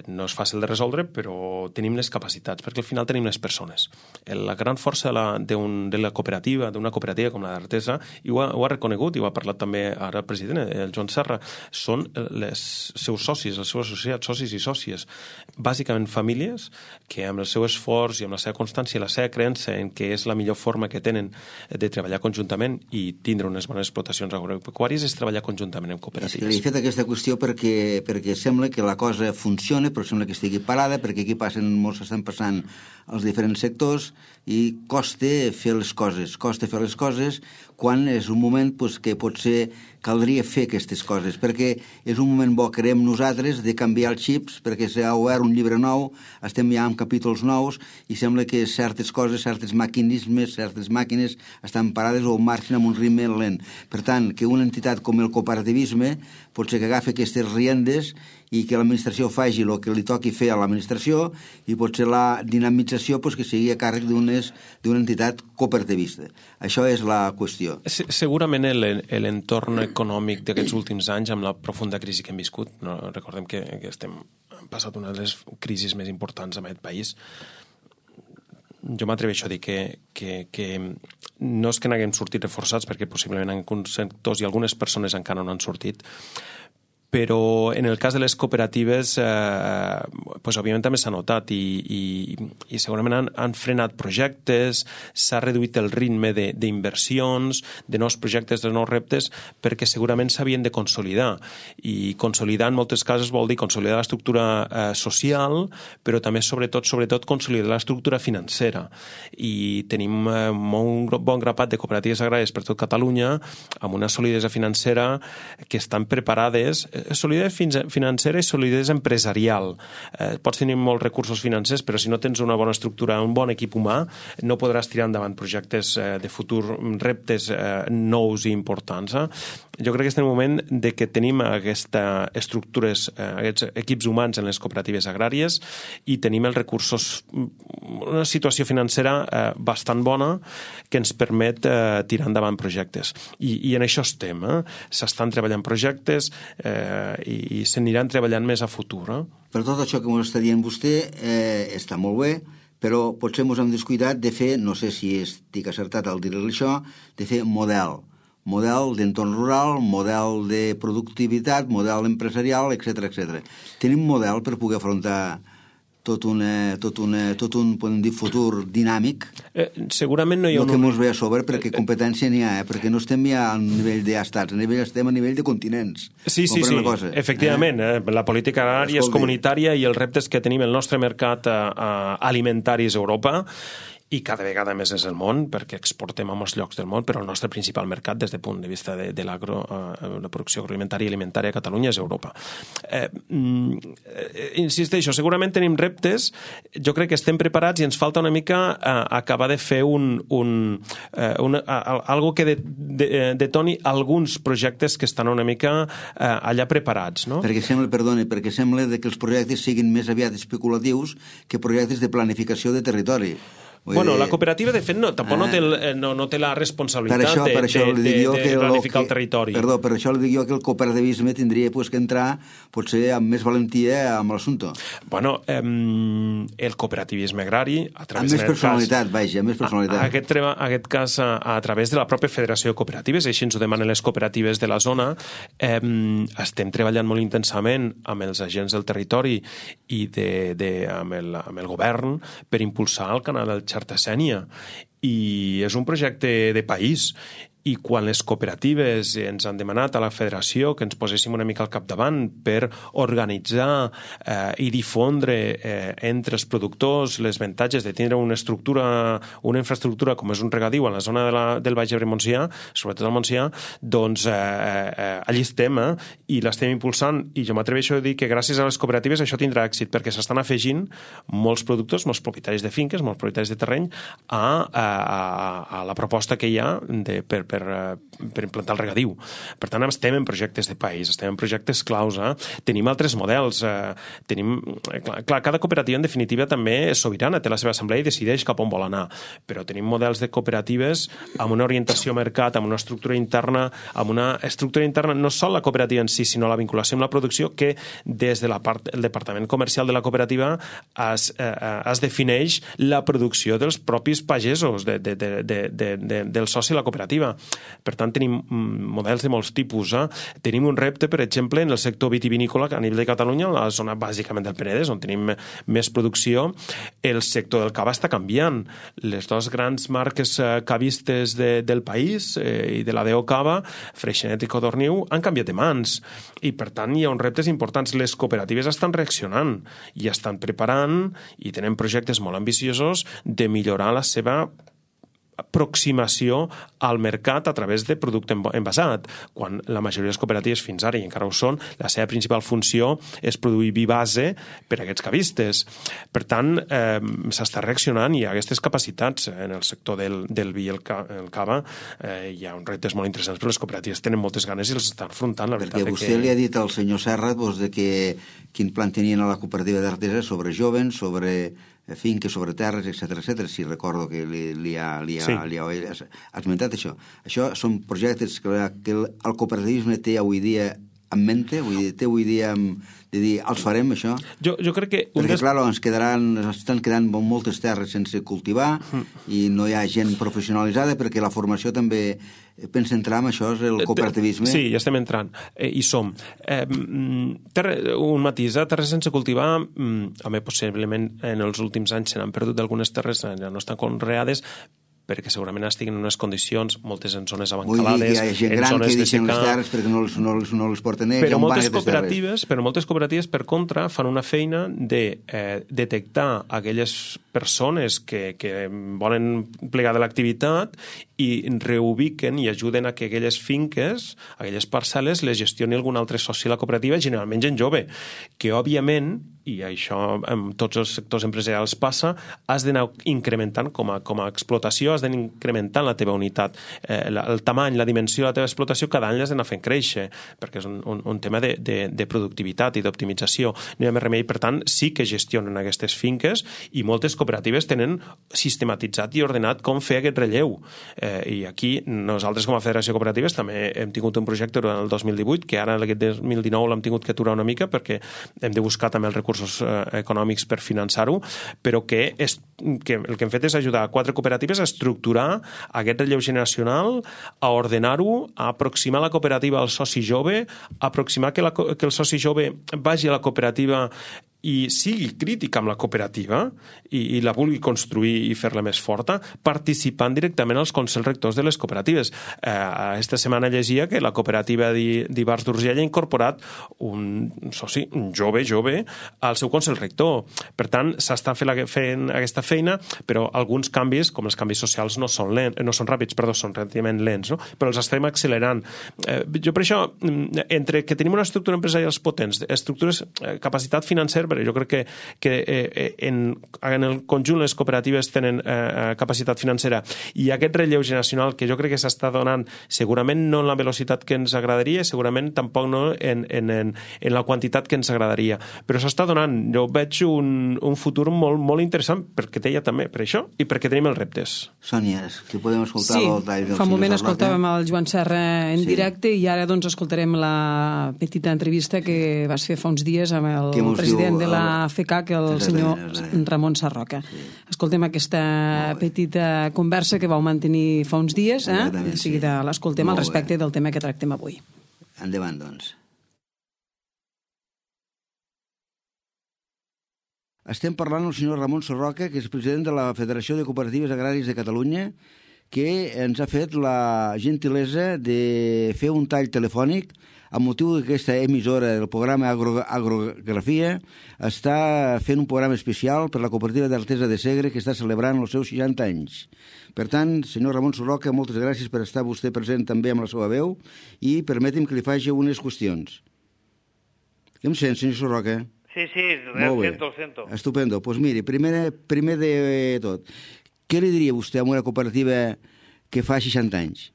no és fàcil de resoldre, però tenim les capacitats, perquè al final tenim les persones. La gran força de la cooperativa, d'una cooperativa com la d'Artesa, i ho ha reconegut, i ho ha parlat també ara el president, el Joan Serra, són els seus socis, els seus associats, socis i sòcies, bàsicament famílies que amb el seu esforç i amb la seva constància i la seva creença en què és la millor forma que tenen de treballar conjuntament i tindre unes bones explotacions agropecuàries és treballar conjuntament en cooperatives. És que li he fet aquesta qüestió perquè sembla que la cosa funciona, però sembla que estigui parada, perquè aquí estan passant els diferents sectors i costa fer les coses quan és un moment que potser caldria fer aquestes coses, perquè és un moment bo, creiem nosaltres, de canviar els xips, perquè s'ha obert un llibre nou, estem ja amb capítols nous, i sembla que certes coses, certes mecanismes, certes màquines estan parades o marxen amb un ritme lent. Per tant, que una entitat com el cooperativisme potser que agafi aquestes riendes i que l'administració faci el que li toqui fer a l'administració i potser la dinamització que sigui a càrrec d'una entitat cooperativista. Això és la qüestió. Segurament l'entorn econòmic d'aquests últims anys, amb la profunda crisi que hem viscut, recordem que hem passat una de les crisis més importants en aquest país, jo m'atreveixo a dir que no és que n'haguem sortit reforçats, perquè possiblement en alguns sectors i algunes persones encara no han sortit, però en el cas de les cooperatives òbviament també s'ha notat i segurament han frenat projectes, s'ha reduït el ritme d'inversions, de nous projectes, de nous reptes, perquè segurament s'havien de consolidar, i consolidar en moltes casos vol dir consolidar l'estructura social, però també sobretot consolidar l'estructura financera, i tenim un bon grapat de cooperatives agràries per tot Catalunya amb una solidesa financera que estan preparades, solidesa financera i solidesa empresarial. Pots tenir molts recursos financers, però si no tens una bona estructura, un bon equip humà, no podràs tirar endavant projectes de futur, reptes nous i importants. Jo crec que estem en un moment de que tenim aquestes estructures, aquests equips humans en les cooperatives agràries, i tenim els recursos, una situació financera bastant bona que ens permet tirar endavant projectes. I en això estem. S'estan treballant projectes i s'aniran treballant més a futur. Per tot això que ens està dient vostè, està molt bé, però potser ens hem descuidat de fer, no sé si estic acertat al dir-li això, de fer model model d'entorn rural, model de productivitat, model empresarial, etc. Tenim model per poder afrontar tot un podem dir, futur dinàmic. Segurament no hi ha que mos ve a sobre, perquè competència n'hi ha, perquè no estem ja a nivell d'estats, estem a nivell de continents. Sí, efectivament. La política agrària és comunitària i els reptes que tenim el nostre mercat alimentari és Europa, i cada vegada més és el món, perquè exportem a molts llocs del món, però el nostre principal mercat des del punt de vista de la producció agroalimentària i alimentària a Catalunya és Europa. Insisteixo, segurament tenim reptes, jo crec que estem preparats i ens falta una mica acabar de fer algo que detoni alguns projectes que estan una mica allà preparats, no? Perquè sembla que els projectes siguin més aviat especulatius que projectes de planificació de territori. Bueno, la cooperativa, de fet, tampoc no té la responsabilitat de planificar el territori. Perdó, per això li dic jo que el cooperativisme tindria que entrar, potser amb més valentia amb l'assumpte. Bueno, el cooperativisme agrari, a través amb més personalitat, vaja, amb més personalitat. Aquest cas, a través de la pròpia Federació de Cooperatives, així ens ho demanen les cooperatives de la zona, estem treballant molt intensament amb els agents del territori i amb el govern per impulsar el canal del Xarta-Sénia, i és un projecte de país. I quan les cooperatives ens han demanat a la federació que ens poséssim una mica al capdavant per organitzar i difondre entre els productors les avantatges de tindre una infraestructura com és un regadiu a la zona del Baix Ebre Montsià, sobretot al Montsià, doncs allí estem i l'estem impulsant, i jo m'atreveixo a dir que gràcies a les cooperatives això tindrà èxit, perquè s'estan afegint molts productors, molts propietaris de finques, molts propietaris de terreny a la proposta que hi ha per implantar el regadiu. Per tant, estem en projectes de país, estem en projectes claus. Tenim altres models. Cada cooperativa, en definitiva, també és sobirana, té la seva assemblea i decideix cap on vol anar. Però tenim models de cooperatives amb una orientació mercat, amb una estructura interna, no sol la cooperativa en si, sinó la vinculació amb la producció, que des del departament comercial de la cooperativa es defineix la producció dels propis pagesos, del soci de la cooperativa. Per tant, tenim models de molts tipus. Tenim un repte, per exemple, en el sector vitivinícola a nivell de Catalunya, a la zona bàsicament del Penedès, on tenim més producció. El sector del cava està canviant. Les dues grans marques cavistes del país i de la DO Cava, Freixenet i Codorniu, han canviat de mans. I, per tant, hi ha uns reptes importants. Les cooperatives estan reaccionant i estan preparant i tenen projectes molt ambiciosos de millorar la seva aproximació al mercat a través de producte envasat, quan la majoria de les cooperatives fins ara, i encara ho són, la seva principal funció és produir vi base per a aquests cavistes. Per tant, s'està reaccionant i hi ha aquestes capacitats en el sector del vi i el cava. Hi ha uns reptes molt interessants, però les cooperatives tenen moltes ganes i les estan afrontant. Perquè vostè li ha dit al senyor Serra de que quin plan tenien a la cooperativa d'Artesa sobre jovens, sobre finques, sobre terres, etc. Si recordo que li ha esmentat això. Això són projectes que el cooperativisme té avui dia en mente, té avui dia de dir, els farem això? Jo crec que... Perquè, clar, ens estan quedant moltes terres sense cultivar i no hi ha gent professionalitzada, perquè la formació també pensa entrar en això, és el cooperativisme. Sí, ja estem entrant, i som. Un matís, terres sense cultivar, possiblement en els últims anys se n'han perdut algunes terres, ja no estan conreades, perquè segurament estiguen en unes condicions, moltes en zones abancalades, en zones de secà. Vull dir que hi ha gent gran que deixen les terres perquè no les porten ells. Però moltes cooperatives, per contra, fan una feina de detectar aquelles persones que volen plegar de l'activitat i reubiquen i ajuden a que aquelles finques, aquelles parcel·les, les gestioni algun altre soci de la cooperativa, generalment gent jove, que òbviament, i això en tots els sectors empresarials passa, has d'anar incrementant com a explotació, has d'anar incrementant la teva unitat, el tamany, la dimensió de la teva explotació, cada any l'has d'anar fent créixer, perquè és un tema de productivitat i d'optimització. No hi ha més remei, per tant, sí que gestionen aquestes finques i moltes cooperatives tenen sistematitzat i ordenat com fer aquest relleu. I aquí nosaltres com a Federació de Cooperatives també hem tingut un projecte durant el 2018, que ara aquest 2019 l'hem tingut que aturar una mica perquè hem de buscar també el recurs recursos econòmics per finançar-ho, però que el que hem fet és ajudar 4 cooperatives a estructurar aquest relleu generacional, a ordenar-ho, a aproximar la cooperativa al soci jove, a aproximar que el soci jove vagi a la cooperativa i sigui crític amb la cooperativa i la vulgui construir i fer-la més forta, participant directament als consells rectors de les cooperatives. Esta setmana llegia que la cooperativa d'Ivars d'Urgell ha incorporat un soci, un jove, al seu consell rector. Per tant, s'està fent aquesta feina, però alguns canvis, com els canvis socials, no són ràpids, són relativament lents, no? Però els estem accelerant. Jo per això, entre que tenim una estructura empresarial potents, estructures, capacitat financera, però jo crec que en el conjunt les cooperatives tenen capacitat financera i aquest relleu generacional que jo crec que s'està donant segurament no en la velocitat que ens agradaria, segurament tampoc no en la quantitat que ens agradaria, però s'està donant. Jo veig un futur molt, molt interessant perquè deia també per això i perquè tenim els reptes. Sònia, que podem escoltar el tall del fa un moment senyor escoltàvem el Joan Serra en directe i ara doncs escoltarem la petita entrevista que vas fer fa uns dies amb el president de la FECAC, el senyor Ramon Sarroca. Escoltem aquesta petita conversa que vau mantenir fa uns dies, de seguida l'escoltem al respecte del tema que tractem avui. Endavant, doncs. Estem parlant amb el senyor Ramon Sarroca, que és president de la Federació de Cooperatives Agràries de Catalunya, que ens ha fet la gentilesa de fer un tall telefònic amb motiu d'aquesta emissora del programa Agrografia. Està fent un programa especial per la cooperativa d'Artesa de Segre que està celebrant els seus 60 anys. Per tant, senyor Ramon Sarroca, moltes gràcies per estar vostè present també amb la seva veu i permeti'm que li faci unes qüestions. Què em sent, senyor Sarroca? Sí, el sento. Estupendo. Doncs miri, primer de tot, què li diria vostè a una cooperativa que fa 60 anys?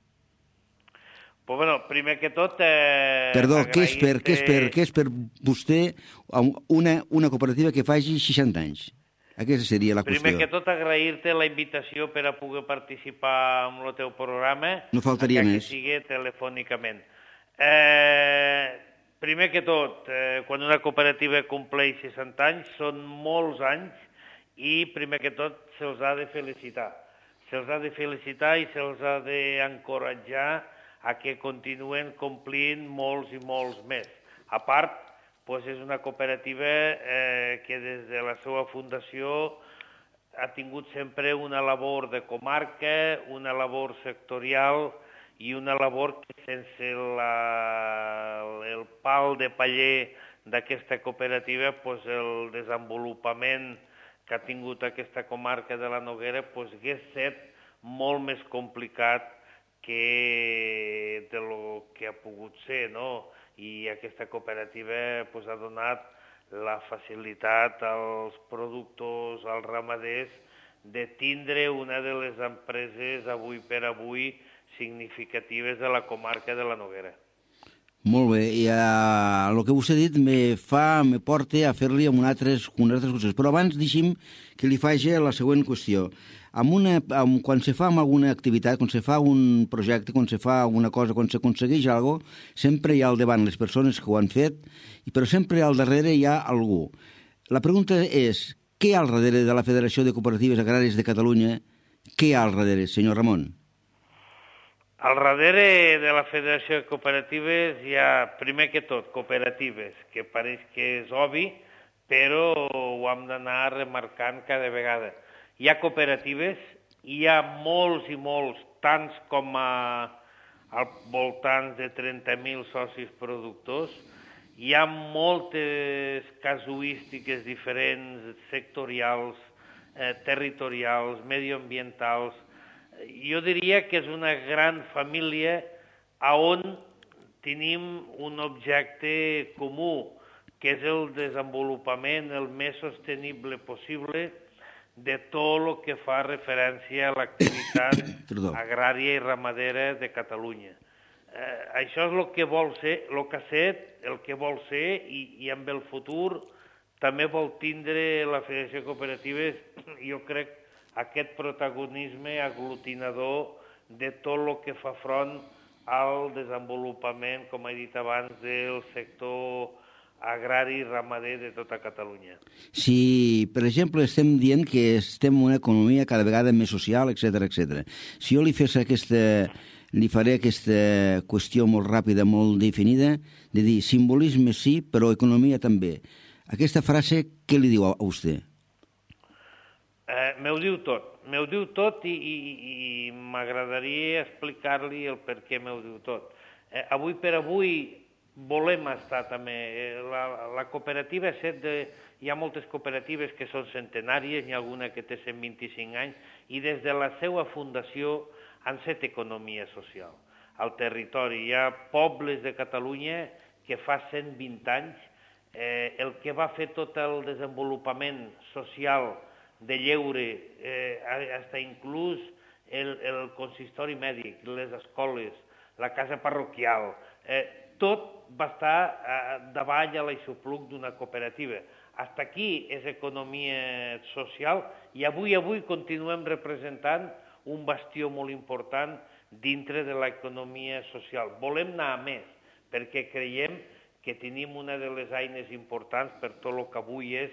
Pues bueno, primer que tot... Perdó, què és per vostè una cooperativa que faci 60 anys? Aquesta seria la qüestió. Primer que tot, agrair-te la invitació per a poder participar en el teu programa. No faltaria més. Que sigui telefònicament. Primer que tot, quan una cooperativa compleix 60 anys, són molts anys i primer que tot se'ls ha de felicitar. Se'ls ha de felicitar i se'ls ha d'encoratjar a que continuen complint molts i molts més. A part, és una cooperativa que des de la seva fundació ha tingut sempre una labor de comarca, una labor sectorial i una labor que sense el pal de paller d'aquesta cooperativa, el desenvolupament que ha tingut aquesta comarca de la Noguera hagués estat molt més complicat que de lo que ha pogut ser, no? I aquesta cooperativa ha donat la facilitat als productors, als ramaders, de tindre una de les empreses avui per avui significatives de la comarca de la Noguera. Molt bé, i el que vostè ha dit me porta a fer-li amb altres qüestions. Però abans deixi'm que li faci la següent qüestió. Quan se fa alguna activitat, quan se fa un projecte, quan se fa alguna cosa, quan s'aconsegueix alguna cosa, sempre hi ha al davant les persones que ho han fet, però sempre al darrere hi ha algú. La pregunta és, què hi ha al darrere de la Federació de Cooperatives Agràries de Catalunya? Què hi ha al darrere, senyor Ramon? Al darrere de la Federació de Cooperatives hi ha, primer que tot, cooperatives, que pareix que és obvi, però ho hem d'anar remarcant cada vegada. Hi ha cooperatives, hi ha molts i molts, tants com al voltant de 30.000 socis productors, hi ha moltes casuístiques diferents, sectorials, territorials, medioambientals. Jo diria que és una gran família on tenim un objecte comú, que és el desenvolupament el més sostenible possible de tot el que fa referència a l'activitat agrària i ramadera de Catalunya. Això és el que vol ser, el que ha set, el que vol ser i amb el futur també vol tindre la Federació de Cooperatives, jo crec, aquest protagonisme aglutinador de tot el que fa front al desenvolupament, com he dit abans, del sector agrari i ramader de tota Catalunya. Si, per exemple, estem dient que estem en una economia cada vegada més social, etc. Si jo li faré aquesta qüestió molt ràpida, molt definida, de dir simbolisme sí, però economia també. Aquesta frase, què li diu a vostè? M'ho diu tot i m'agradaria explicar-li el per què m'ho diu tot. Avui per avui volem estar també. La cooperativa, hi ha moltes cooperatives que són centenàries, n'hi ha alguna que té 125 anys, i des de la seva fundació han set economia social. Al territori hi ha pobles de Catalunya que fa 120 anys el que va fer tot el desenvolupament social de lleure, fins inclús el consistori mèdic, les escoles, la casa parroquial, tot va estar davall a l'aixopluc d'una cooperativa. Fins aquí és economia social i avui continuem representant un bastió molt important dintre de l'economia social. Volem anar a més, perquè creiem que tenim una de les eines importants per tot el que avui és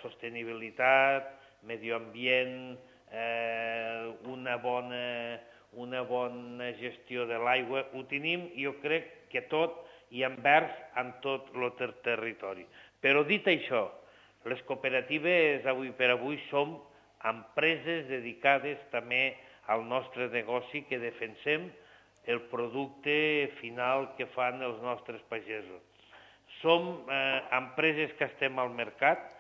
sostenibilitat, medi ambient, una bona gestió de l'aigua. Ho tenim, jo crec que tot i envers en tot el territori. Però dit això, les cooperatives avui per avui som empreses dedicades també al nostre negoci, que defensem el producte final que fan els nostres pagesos. Som empreses que estem al mercat.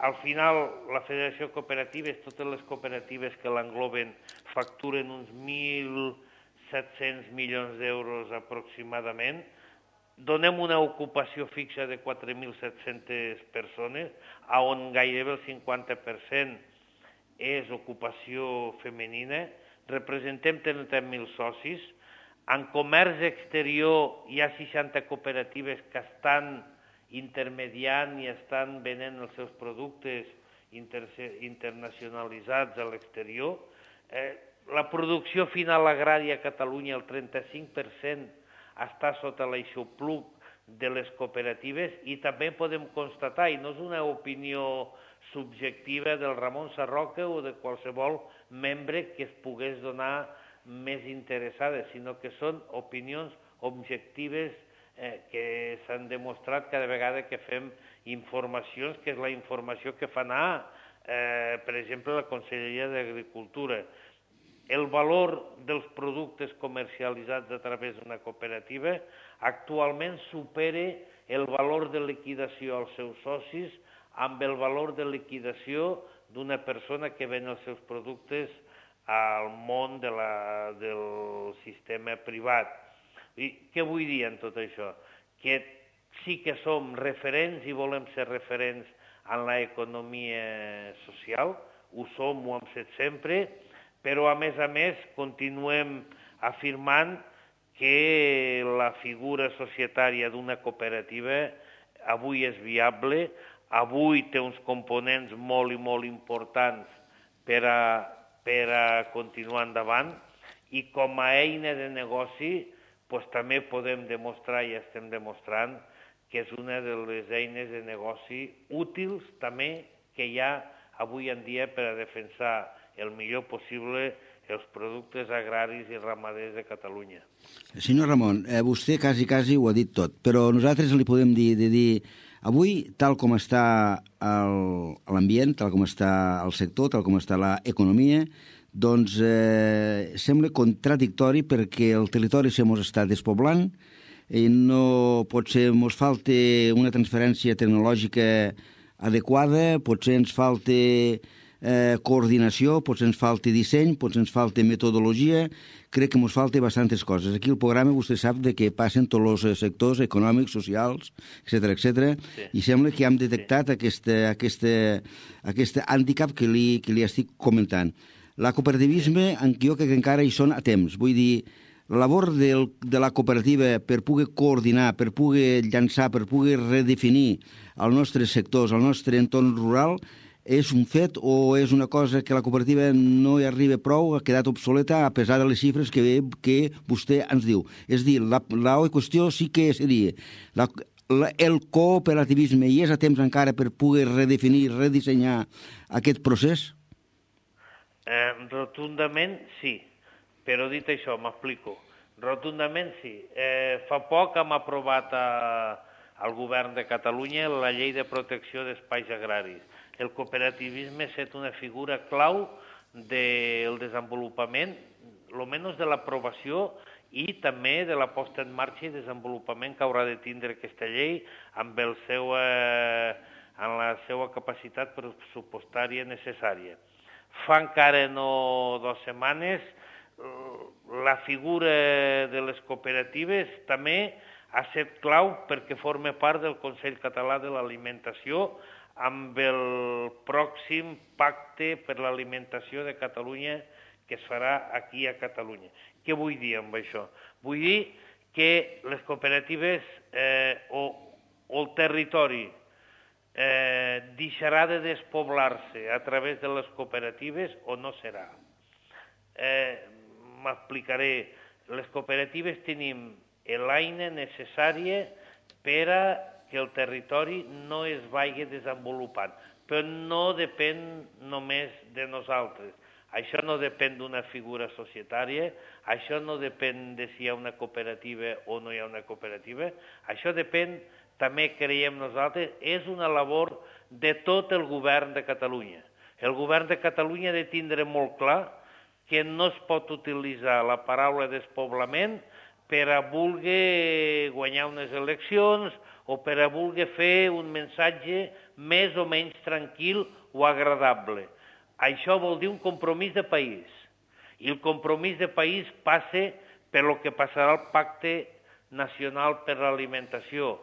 Al final, la Federació de Cooperatives, totes les cooperatives que l'engloben, facturen uns 1.700 milions d'euros aproximadament. Donem una ocupació fixa de 4.700 persones, on gairebé el 50% és ocupació femenina. Representem 30.000 socis. En comerç exterior hi ha 60 cooperatives que estan intermediant i estan venent els seus productes internacionalitzats a l'exterior. La producció final agrària a Catalunya, el 35%, està sota l'aixopluc de les cooperatives i també podem constatar, i no és una opinió subjectiva del Ramon Sarroca o de qualsevol membre que es pogués donar més interessades, sinó que són opinions objectives que s'han demostrat cada vegada que fem informacions, que és la informació que fa anar, per exemple, la Conselleria d'Agricultura. El valor dels productes comercialitzats a través d'una cooperativa actualment supera el valor de liquidació als seus socis amb el valor de liquidació d'una persona que ven els seus productes al món del sistema privat. I què vull dir en tot això? Que sí que som referents i volem ser referents en l'economia social, ho som, ho hem set sempre, però a més continuem afirmant que la figura societària d'una cooperativa avui és viable, avui té uns components molt i molt importants per a continuar endavant, i com a eina de negoci també podem demostrar i estem demostrant que és una de les eines de negoci útils també que hi ha avui en dia per a defensar el millor possible els productes agraris i ramaders de Catalunya. Senyor Ramon, vostè quasi ho ha dit tot, però nosaltres li podem dir avui, tal com està l'ambient, tal com està el sector, tal com està l'economia, doncs sembla contradictori perquè el territori se mos està despoblant i no potser ens falta una transferència tecnològica adequada, potser ens falta coordinació, potser ens falta disseny, potser ens falta metodologia, crec que ens falta bastantes coses. Aquí al programa vostè sap de què passen tots els sectors econòmics, socials, etc. Sí. I sembla que hem detectat aquest hàndicap que li estic comentant. La cooperativisme, jo crec que encara hi són a temps. Vull dir, la labor de la cooperativa per poder coordinar, per poder llançar, per poder redefinir els nostres sectors, el nostre entorn rural, és un fet o és una cosa que la cooperativa no hi arriba prou, ha quedat obsoleta a pesar de les xifres que vostè ens diu? És dir, la qüestió sí que seria el cooperativisme hi és a temps encara per poder redefinir, redissenyar aquest procés? Rotundament sí, però dit això, m'explico. Rotundament sí. Fa poc hem aprovat al govern de Catalunya la llei de protecció d'espais agraris. El cooperativisme ha estat una figura clau del desenvolupament, almenys de l'aprovació i també de la posta en marxa i desenvolupament que haurà de tindre aquesta llei amb la seva capacitat pressupostària necessària. Fa encara no 2 setmanes la figura de les cooperatives també ha estat clau perquè forma part del Consell Català de l'Alimentació amb el pròxim pacte per l'alimentació de Catalunya que es farà aquí a Catalunya. Què vull dir amb això? Vull dir que les cooperatives o el territori deixarà de despoblar-se a través de les cooperatives o no serà. M'explicaré. Les cooperatives tenim l'eina necessària per a que el territori no es vagi desenvolupant, però no depèn només de nosaltres. Això no depèn d'una figura societària, això no depèn de si hi ha una cooperativa o no hi ha una cooperativa, això depèn, també creiem nosaltres, és una labor de tot el govern de Catalunya. El govern de Catalunya ha de tindre molt clar que no es pot utilitzar la paraula despoblament per a voler guanyar unes eleccions o per a voler fer un missatge més o menys tranquil o agradable. Això vol dir un compromís de país. I el compromís de país passa per lo que passarà al Pacte Nacional per l'Alimentació,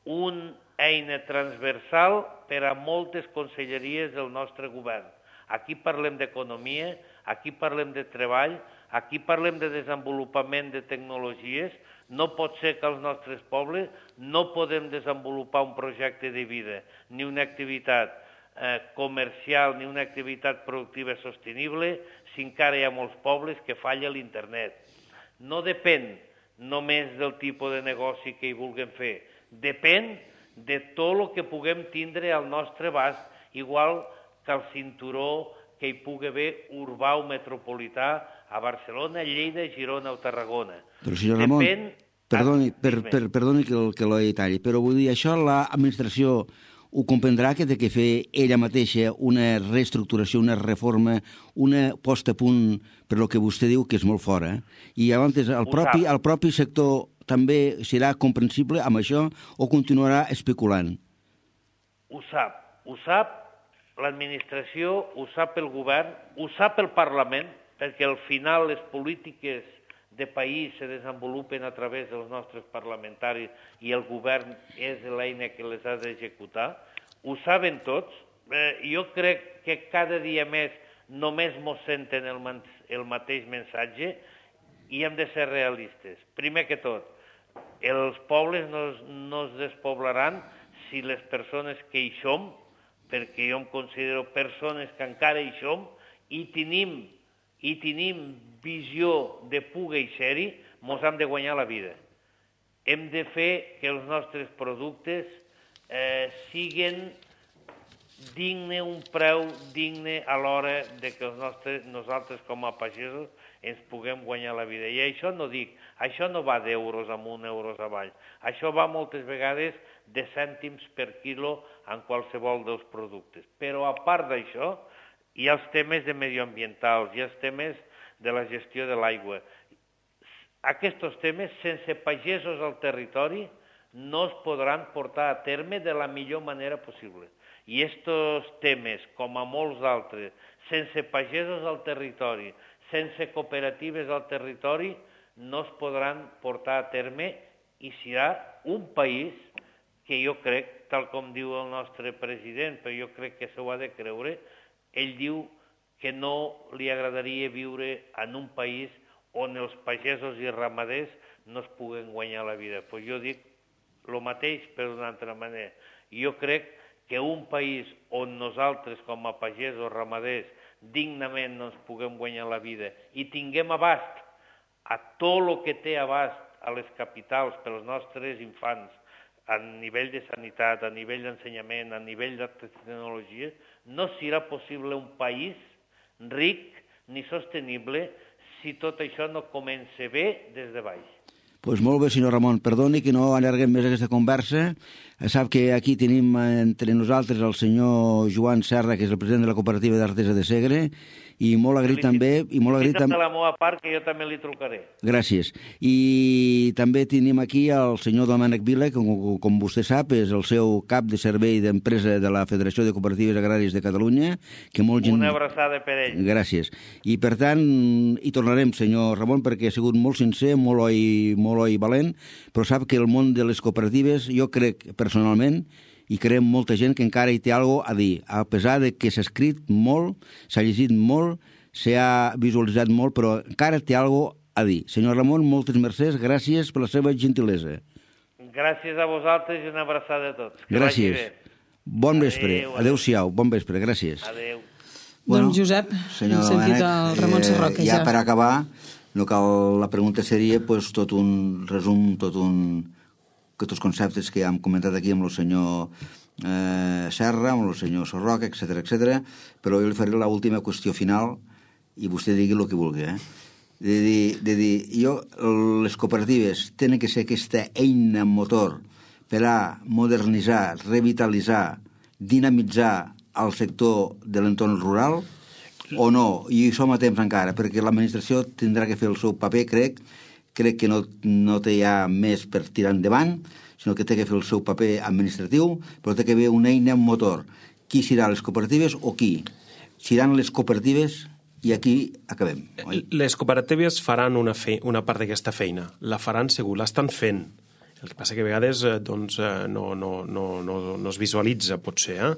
una eina transversal per a moltes conselleries del nostre govern. Aquí parlem d'economia, aquí parlem de treball, aquí parlem de desenvolupament de tecnologies. No pot ser que als nostres pobles no podem desenvolupar un projecte de vida, ni una activitat comercial, ni una activitat productiva sostenible, si encara hi ha molts pobles que falla l'internet. No depèn només del tipus de negoci que hi vulguem fer, depèn de tot el que puguem tindre al nostre abast, igual que el cinturó que hi pugui haver urbà o metropolità a Barcelona, Lleida, Girona o Tarragona. Però, senyor Ramon, perdoni que lo detalli, però vull dir, això l'administració ho comprendrà que té que fer ella mateixa una reestructuració, una reforma, una posta a punt per lo que vostè diu que és molt fora. I llavors el propi sector també serà comprensible amb això o continuarà especulant? Ho sap l'administració, ho sap el govern, ho sap el Parlament, perquè al final les polítiques de país se desenvolupen a través dels nostres parlamentaris i el govern és l'eina que les ha d'executar. Ho saben tots. Jo crec que cada dia més només mos senten el mateix missatge i hem de ser realistes. Primer que tot, els pobles no es despoblaran si les persones que hi som, perquè jo em considero persones que encara hi som, i tenim visió de poder ser-hi, mos hem de guanyar la vida. Hem de fer que els nostres productes siguin dignes, un preu digne a l'hora de que nosaltres com a pagesos ens puguem guanyar la vida. I això no va d'euros amunt, euros avall. Això va moltes vegades de cèntims per quilo en qualsevol dels productes. Però a part d'això, hi ha els temes de medioambientals, hi ha els temes de la gestió de l'aigua. Aquests temes, sense pagesos al territori, no es podran portar a terme de la millor manera possible. I aquests temes, com a molts altres, sense pagesos al territori, sense cooperatives al territori, no es podran portar a terme i serà un país que jo crec, tal com diu el nostre president, però jo crec que s'ho ha de creure, ell diu que no li agradaria viure en un país on els pagesos i ramaders no es puguen guanyar la vida. Pues jo dic el mateix, però d'una altra manera. Jo crec que un país on nosaltres, com a pagesos ramaders, dignament no ens puguem guanyar la vida i tinguem abast a tot el que té abast a les capitals per als nostres infants, a nivell de sanitat, a nivell d'ensenyament, a nivell de tecnologia, no serà possible un país ric ni sostenible si tot això no comença bé des de baix. Pues molt bé, senyor Ramon. Perdoni que no allarguem més aquesta conversa. Sap que aquí tenim entre nosaltres el senyor Joan Serra, que és el president de la cooperativa d'Artesa de Segre, i molt agraït també... de la meva part, que jo també li trucaré. Gràcies. I també tenim aquí el senyor Domènec Vila, que com vostè sap és el seu cap de servei d'empresa de la Federació de Cooperatives Agràries de Catalunya. Que molt gent... Una abraçada per ell. Gràcies. I per tant, hi tornarem, senyor Ramon, perquè ha sigut molt sincer, molt oi valent, però sap que el món de les cooperatives, jo crec personalment, i creiem molta gent que encara hi té alguna cosa a dir, a pesar de que s'ha escrit molt, s'ha llegit molt, s'ha visualitzat molt, però encara té alguna cosa a dir. Senyor Ramon, moltes mercès, gràcies per la seva gentilesa. Gràcies a vosaltres i una abraçada a tots. Gràcies. Bon vespre. Adéu-siau. Bon vespre. Gràcies. Adéu. Bueno, doncs, Josep, hem sentit el Ramon Sarroca ja. Ja per acabar, no cal, la pregunta seria pues, tot un resum, tots els conceptes que hem comentat aquí amb el senyor Serra, amb el senyor Sarroca, etc, però jo li faré l'última qüestió final i vostè digui el que vulgui. De dir, les cooperatives tenen que ser aquesta eina motor per a modernitzar, revitalitzar, dinamitzar el sector de l'entorn rural o no, i som a temps encara, perquè l'administració tindrà que fer el seu paper, crec que no té ja més per tirar endavant, sinó que té que fer el seu paper administratiu, però té que haver una eina motor. Qui seran les cooperatives o qui? Seran les cooperatives i aquí acabem. Oi? Les cooperatives faran una part d'aquesta feina. La faran segur, l'estan fent. El que passa que a vegades no es visualitza, potser,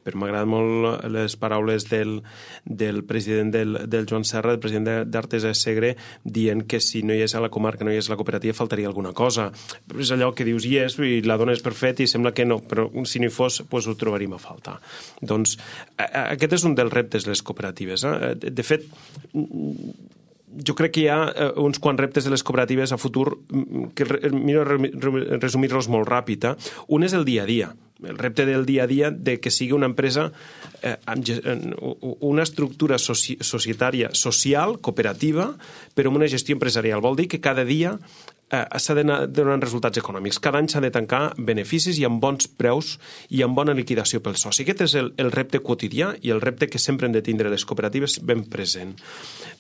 però m'agraden molt les paraules del president del Joan Serra, del president d'Artesa de Segre, dient que si no hi és a la comarca, no hi és a la cooperativa, faltaria alguna cosa. És allò que dius hi és i la dones per fet i sembla que no, però si no hi fos doncs ho trobaríem a faltar. Doncs aquest és un dels reptes de les cooperatives. De fet, jo crec que hi ha uns quants reptes de les cooperatives a futur que miro resumir-los molt ràpid. Un és el dia a dia, el repte del dia a dia de que sigui una empresa amb una estructura societària, social, cooperativa, però amb una gestió empresarial. Vol dir que cada dia s'ha d'anar donant resultats econòmics. Cada any s'ha de tancar beneficis i amb bons preus i amb bona liquidació pel soci. Aquest és el repte quotidià i el repte que sempre han de tindre les cooperatives ben present.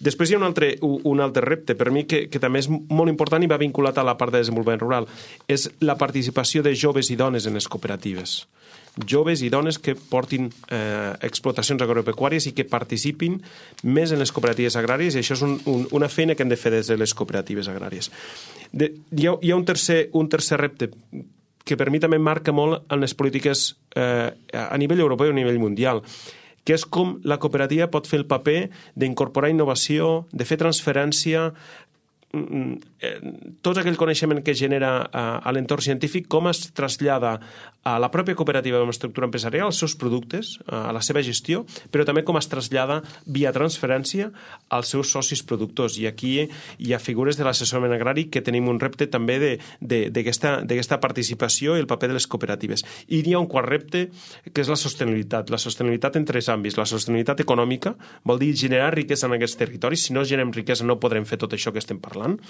Després hi ha un altre repte, per mi, que també és molt important i va vinculat a la part de desenvolupament rural. És la participació de joves i dones en les cooperatives. Joves i dones que portin explotacions agropecuàries i que participin més en les cooperatives agràries, i això és una feina que hem de fer des de les cooperatives agràries. Hi ha un tercer repte que per mi també marca molt en les polítiques a nivell europeu i a nivell mundial, que és com la cooperativa pot fer el paper d'incorporar innovació, de fer transferència, tot aquell coneixement que genera a l'entorn científic, com es trasllada a la pròpia cooperativa amb estructura empresarial, als seus productes, a la seva gestió, però també com es trasllada via transferència als seus socis productors. I aquí hi ha figures de l'assessorament agrari que tenim un repte també d'aquesta participació i el paper de les cooperatives. I hi ha un quart repte, que és la sostenibilitat en tres àmbits. La sostenibilitat econòmica vol dir generar riquesa en aquests territoris. Si no generem riquesa no podrem fer tot això que estem parlant.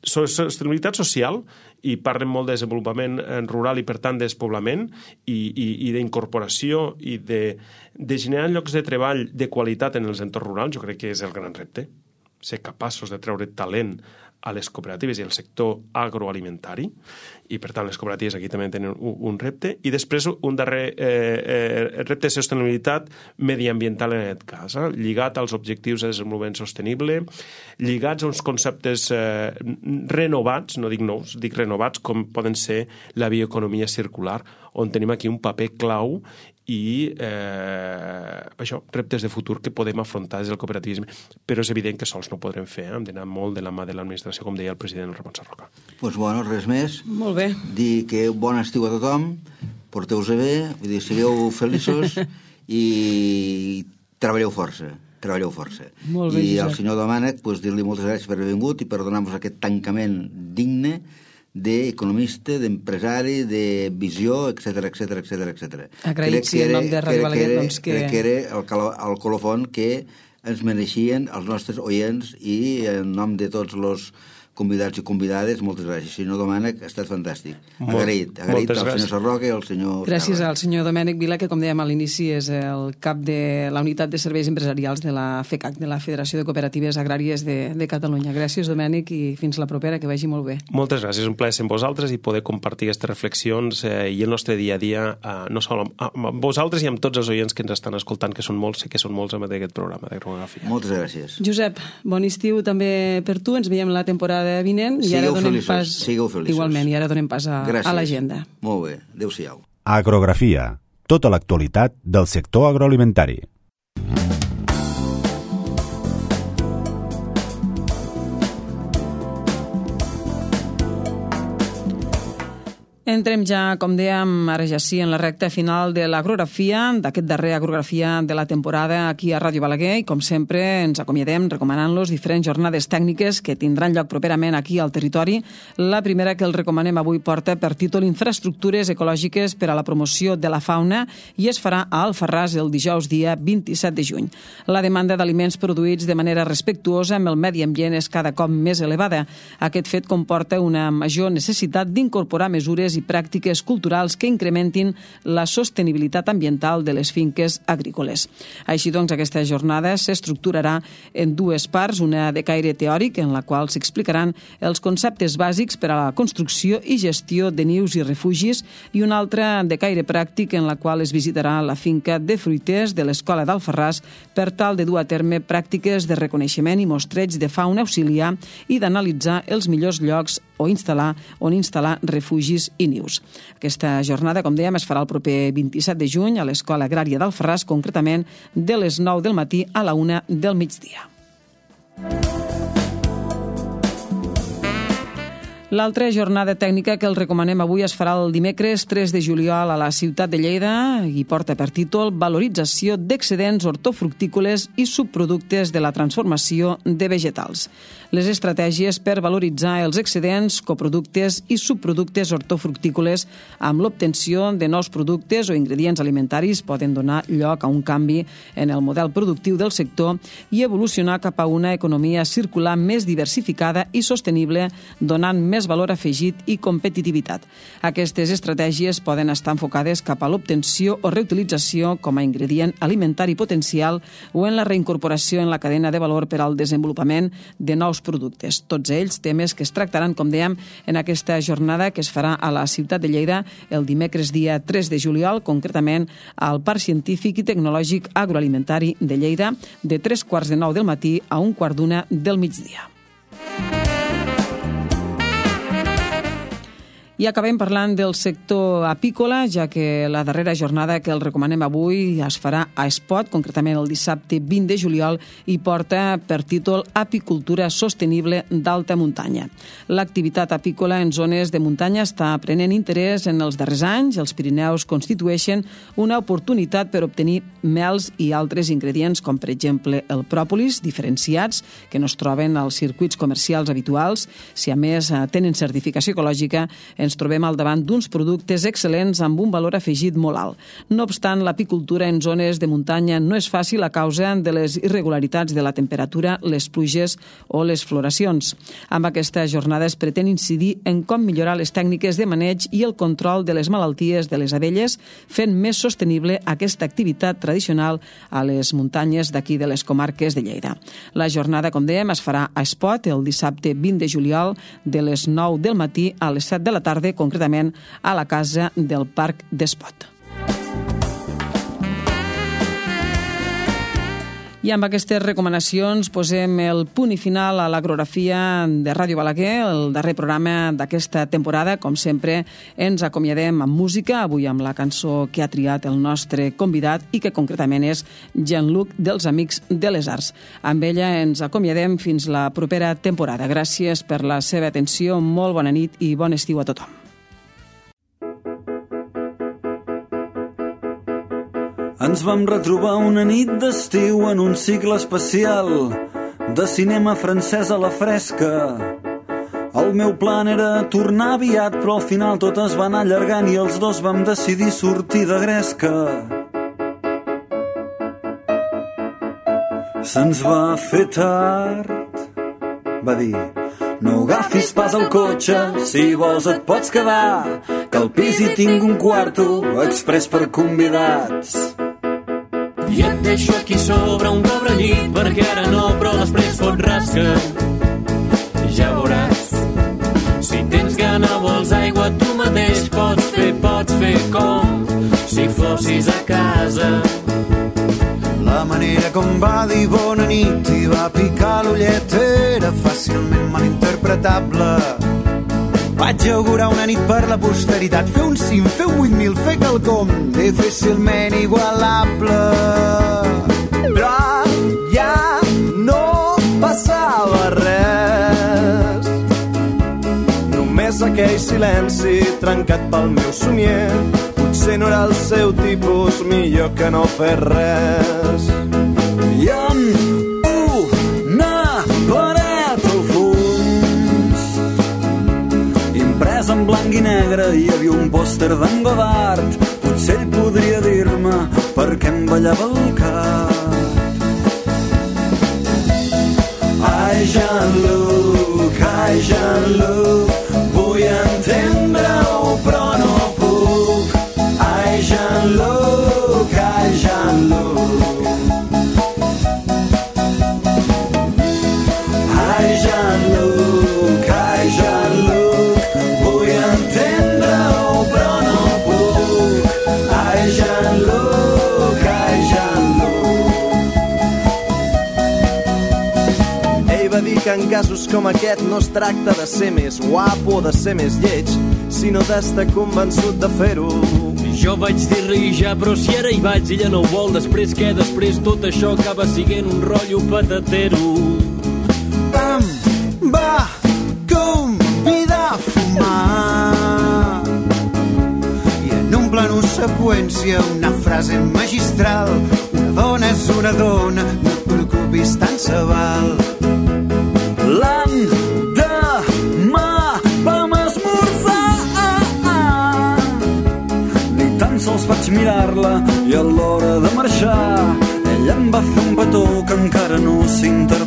Sostenibilitat social, i parlem molt de desenvolupament rural i per tant de despoblament i d'incorporació i de generar llocs de treball de qualitat en els entorns rurals. Jo crec que és el gran repte, ser capaços de treure talent a les cooperatives i al sector agroalimentari, i per tant les cooperatives aquí també tenen un repte. I després un darrer repte de sostenibilitat mediambiental en aquest cas, lligat als objectius de desenvolupament sostenible, lligats a uns conceptes renovats, no dic nous, dic renovats, com poden ser la bioeconomia circular, on tenim aquí un paper clau i reptes de futur que podem afrontar des del cooperativisme, però és evident que sols no podrem fer, hem d'anar molt de la mà de l'administració, com deia el president Ramon Sarroca. Doncs bueno, res més. Molt bé. Dir que bon estiu a tothom, porteu-vos bé, vull dir, sigueu feliços i treballeu força. Molt bé, I al senyor Domènec, dir-li moltes gràcies per haver vingut i per donar-nos aquest tancament digne d'economista, d'empresari, de visió, etc. Agraïts en nom de Ràdio Balaguer, doncs que... Crec que era el colofon que ens mereixien els nostres oients i en nom de tots els convidats i convidades, moltes gràcies. Senyor Domènec, ha estat fantàstic. Agraït al senyor Sarroca i al senyor... Gràcies al senyor Domènec Vila, que com dèiem a l'inici és el cap de la unitat de serveis empresarials de la FECAC, de la Federació de Cooperatives Agràries de Catalunya. Gràcies, Domènec, i fins la propera, que vagi molt bé. Moltes gràcies, un plaer ser amb vosaltres i poder compartir aquestes reflexions i el nostre dia a dia, no sol amb vosaltres i amb tots els oients que ens estan escoltant, que són molts, sé que són molts amb aquest programa d'Agrografia. Moltes gràcies. Josep, bon estiu també per tu, ens veiem la temporada vinent i ara donem pas... Sigueu feliços. Igualment, i ara donem pas a l'agenda. Molt bé, adéu-siau. Agrografia, tota l'actualitat del sector agroalimentari. Entrem ja, com dèiem, ara ja sí, en la recta final de l'agrografia, d'aquest darrer agrografia de la temporada aquí a Ràdio Balaguer, i com sempre ens acomiadem recomanant-los diferents jornades tècniques que tindran lloc properament aquí al territori. La primera que els recomanem avui porta per títol Infraestructures ecològiques per a la promoció de la fauna i es farà a Alfarràs el dijous dia 27 de juny. La demanda d'aliments produïts de manera respectuosa amb el medi ambient és cada cop més elevada. Aquest fet comporta una major necessitat d'incorporar mesures i pràctiques culturals que incrementin la sostenibilitat ambiental de les finques agrícoles. Així doncs, aquesta jornada s'estructurarà en dues parts, una de caire teòric, en la qual s'explicaran els conceptes bàsics per a la construcció i gestió de nius i refugis, i una altra de caire pràctic, en la qual es visitarà la finca de fruiters de l'Escola d'Alfarràs per tal de dur a terme pràctiques de reconeixement i mostreig de fauna auxiliar i d'analitzar els millors llocs on instal·lar refugis i nius. Aquesta jornada, com dèiem, es farà el proper 27 de juny a l'Escola Agrària d'Alfarràs, concretament de les 9 del matí a la 1 del migdia. L'altra jornada tècnica que els recomanem avui es farà el dimecres 3 de juliol a la ciutat de Lleida i porta per títol Valorització d'excedents hortofructícoles i subproductes de la transformació de vegetals. Les estratègies per valoritzar els excedents, coproductes i subproductes hortofructícoles amb l'obtenció de nous productes o ingredients alimentaris poden donar lloc a un canvi en el model productiu del sector i evolucionar cap a una economia circular més diversificada i sostenible, donant més valor afegit i competitivitat. Aquestes estratègies poden estar enfocades cap a l'obtenció o reutilització com a ingredient alimentari potencial o en la reincorporació en la cadena de valor per al desenvolupament de nous productes. Tots ells temes que es tractaran, com dèiem, en aquesta jornada que es farà a la ciutat de Lleida el dimecres dia 3 de juliol, concretament al Parc Científic i Tecnològic Agroalimentari de Lleida, de 3:15 del matí a 1:15 del migdia. I acabem parlant del sector apícola, ja que la darrera jornada que el recomanem avui es farà a Espot, concretament el dissabte 20 de juliol, i porta per títol Apicultura sostenible d'alta muntanya. L'activitat apícola en zones de muntanya està prenent interès en els darrers anys. Els Pirineus constitueixen una oportunitat per obtenir mels i altres ingredients, com per exemple el pròpolis, diferenciats, que no es troben als circuits comercials habituals. Si a més tenen certificació ecològica, ens trobem al davant d'uns productes excel·lents amb un valor afegit molt alt. No obstant, l'apicultura en zones de muntanya no és fàcil a causa de les irregularitats de la temperatura, les pluges o les floracions. Amb aquesta jornada es pretén incidir en com millorar les tècniques de maneig i el control de les malalties de les abelles, fent més sostenible aquesta activitat tradicional a les muntanyes d'aquí de les comarques de Lleida. La jornada, com dèiem, es farà a Espot el dissabte 20 de juliol de les 9 del matí a les 7 de la tarda, concretament a la casa del Parc d'Espot. I amb aquestes recomanacions posem el punt i final a l'agrografia de Ràdio Balaguer, el darrer programa d'aquesta temporada. Com sempre, ens acomiadem amb música, avui amb la cançó que ha triat el nostre convidat i que concretament és Jean-Luc dels Amics de les Arts. Amb ella ens acomiadem fins la propera temporada. Gràcies per la seva atenció, molt bona nit i bon estiu a tothom. Ens vam retrobar una nit d'estiu en un cicle especial de cinema francès a la fresca. El meu plan era tornar aviat, però al final tot es va anar allargant i els dos vam decidir sortir de gresca. Se'ns va fer tard, va dir, no agafis pas el cotxe, si vols et pots quedar, que al pis hi tinc un quarto express per convidats. I et deixo aquí sobre un pobre llit, perquè ara no, però després fot rasca. Ja veuràs, si tens gana vols aigua tu mateix pots fer com si fossis a casa. La manera com va dir bona nit i va picar l'ullet era fàcilment malinterpretable. Vaig augurar una nit per la posteritat, fer un 5, fer un 8.000, fer quelcom difícilment igualable. Però ja no passava res, només aquell silenci trencat pel meu somier. Potser no era el seu tipus, millor que no fer res. I amb una paret al fons, imprès en blanc i negre, hi havia un pòster d'en Godard. Potser ell podria dir-me per què em ballava el cap. Ai, Jean-Luc, vull entendre-ho, però no puc. Ai, Jean-Luc, ai, Jean-Luc. Ai, Jean-Luc, vull entendre-ho, però no puc. Ai, Jean-Luc, ai, Jean-Luc. Ell va dir que en casos com aquest no es tracta de ser més guapo o de ser més lleig, sinó d'estar convençut de fer-ho. Jo vaig dir-li ja, però si ara hi vaig, ella no ho vol. Després què? Després tot això acaba siguent un rotllo patatero. Em va convidar a fumar i en un plano seqüència una frase magistral: una dona és una dona, no et preocupis, tant se val. L'endemà vam esmorzar, ni tan sols vaig mirar-la i a l'hora de marxar ella em va fer un petó que encara no s'interpreta.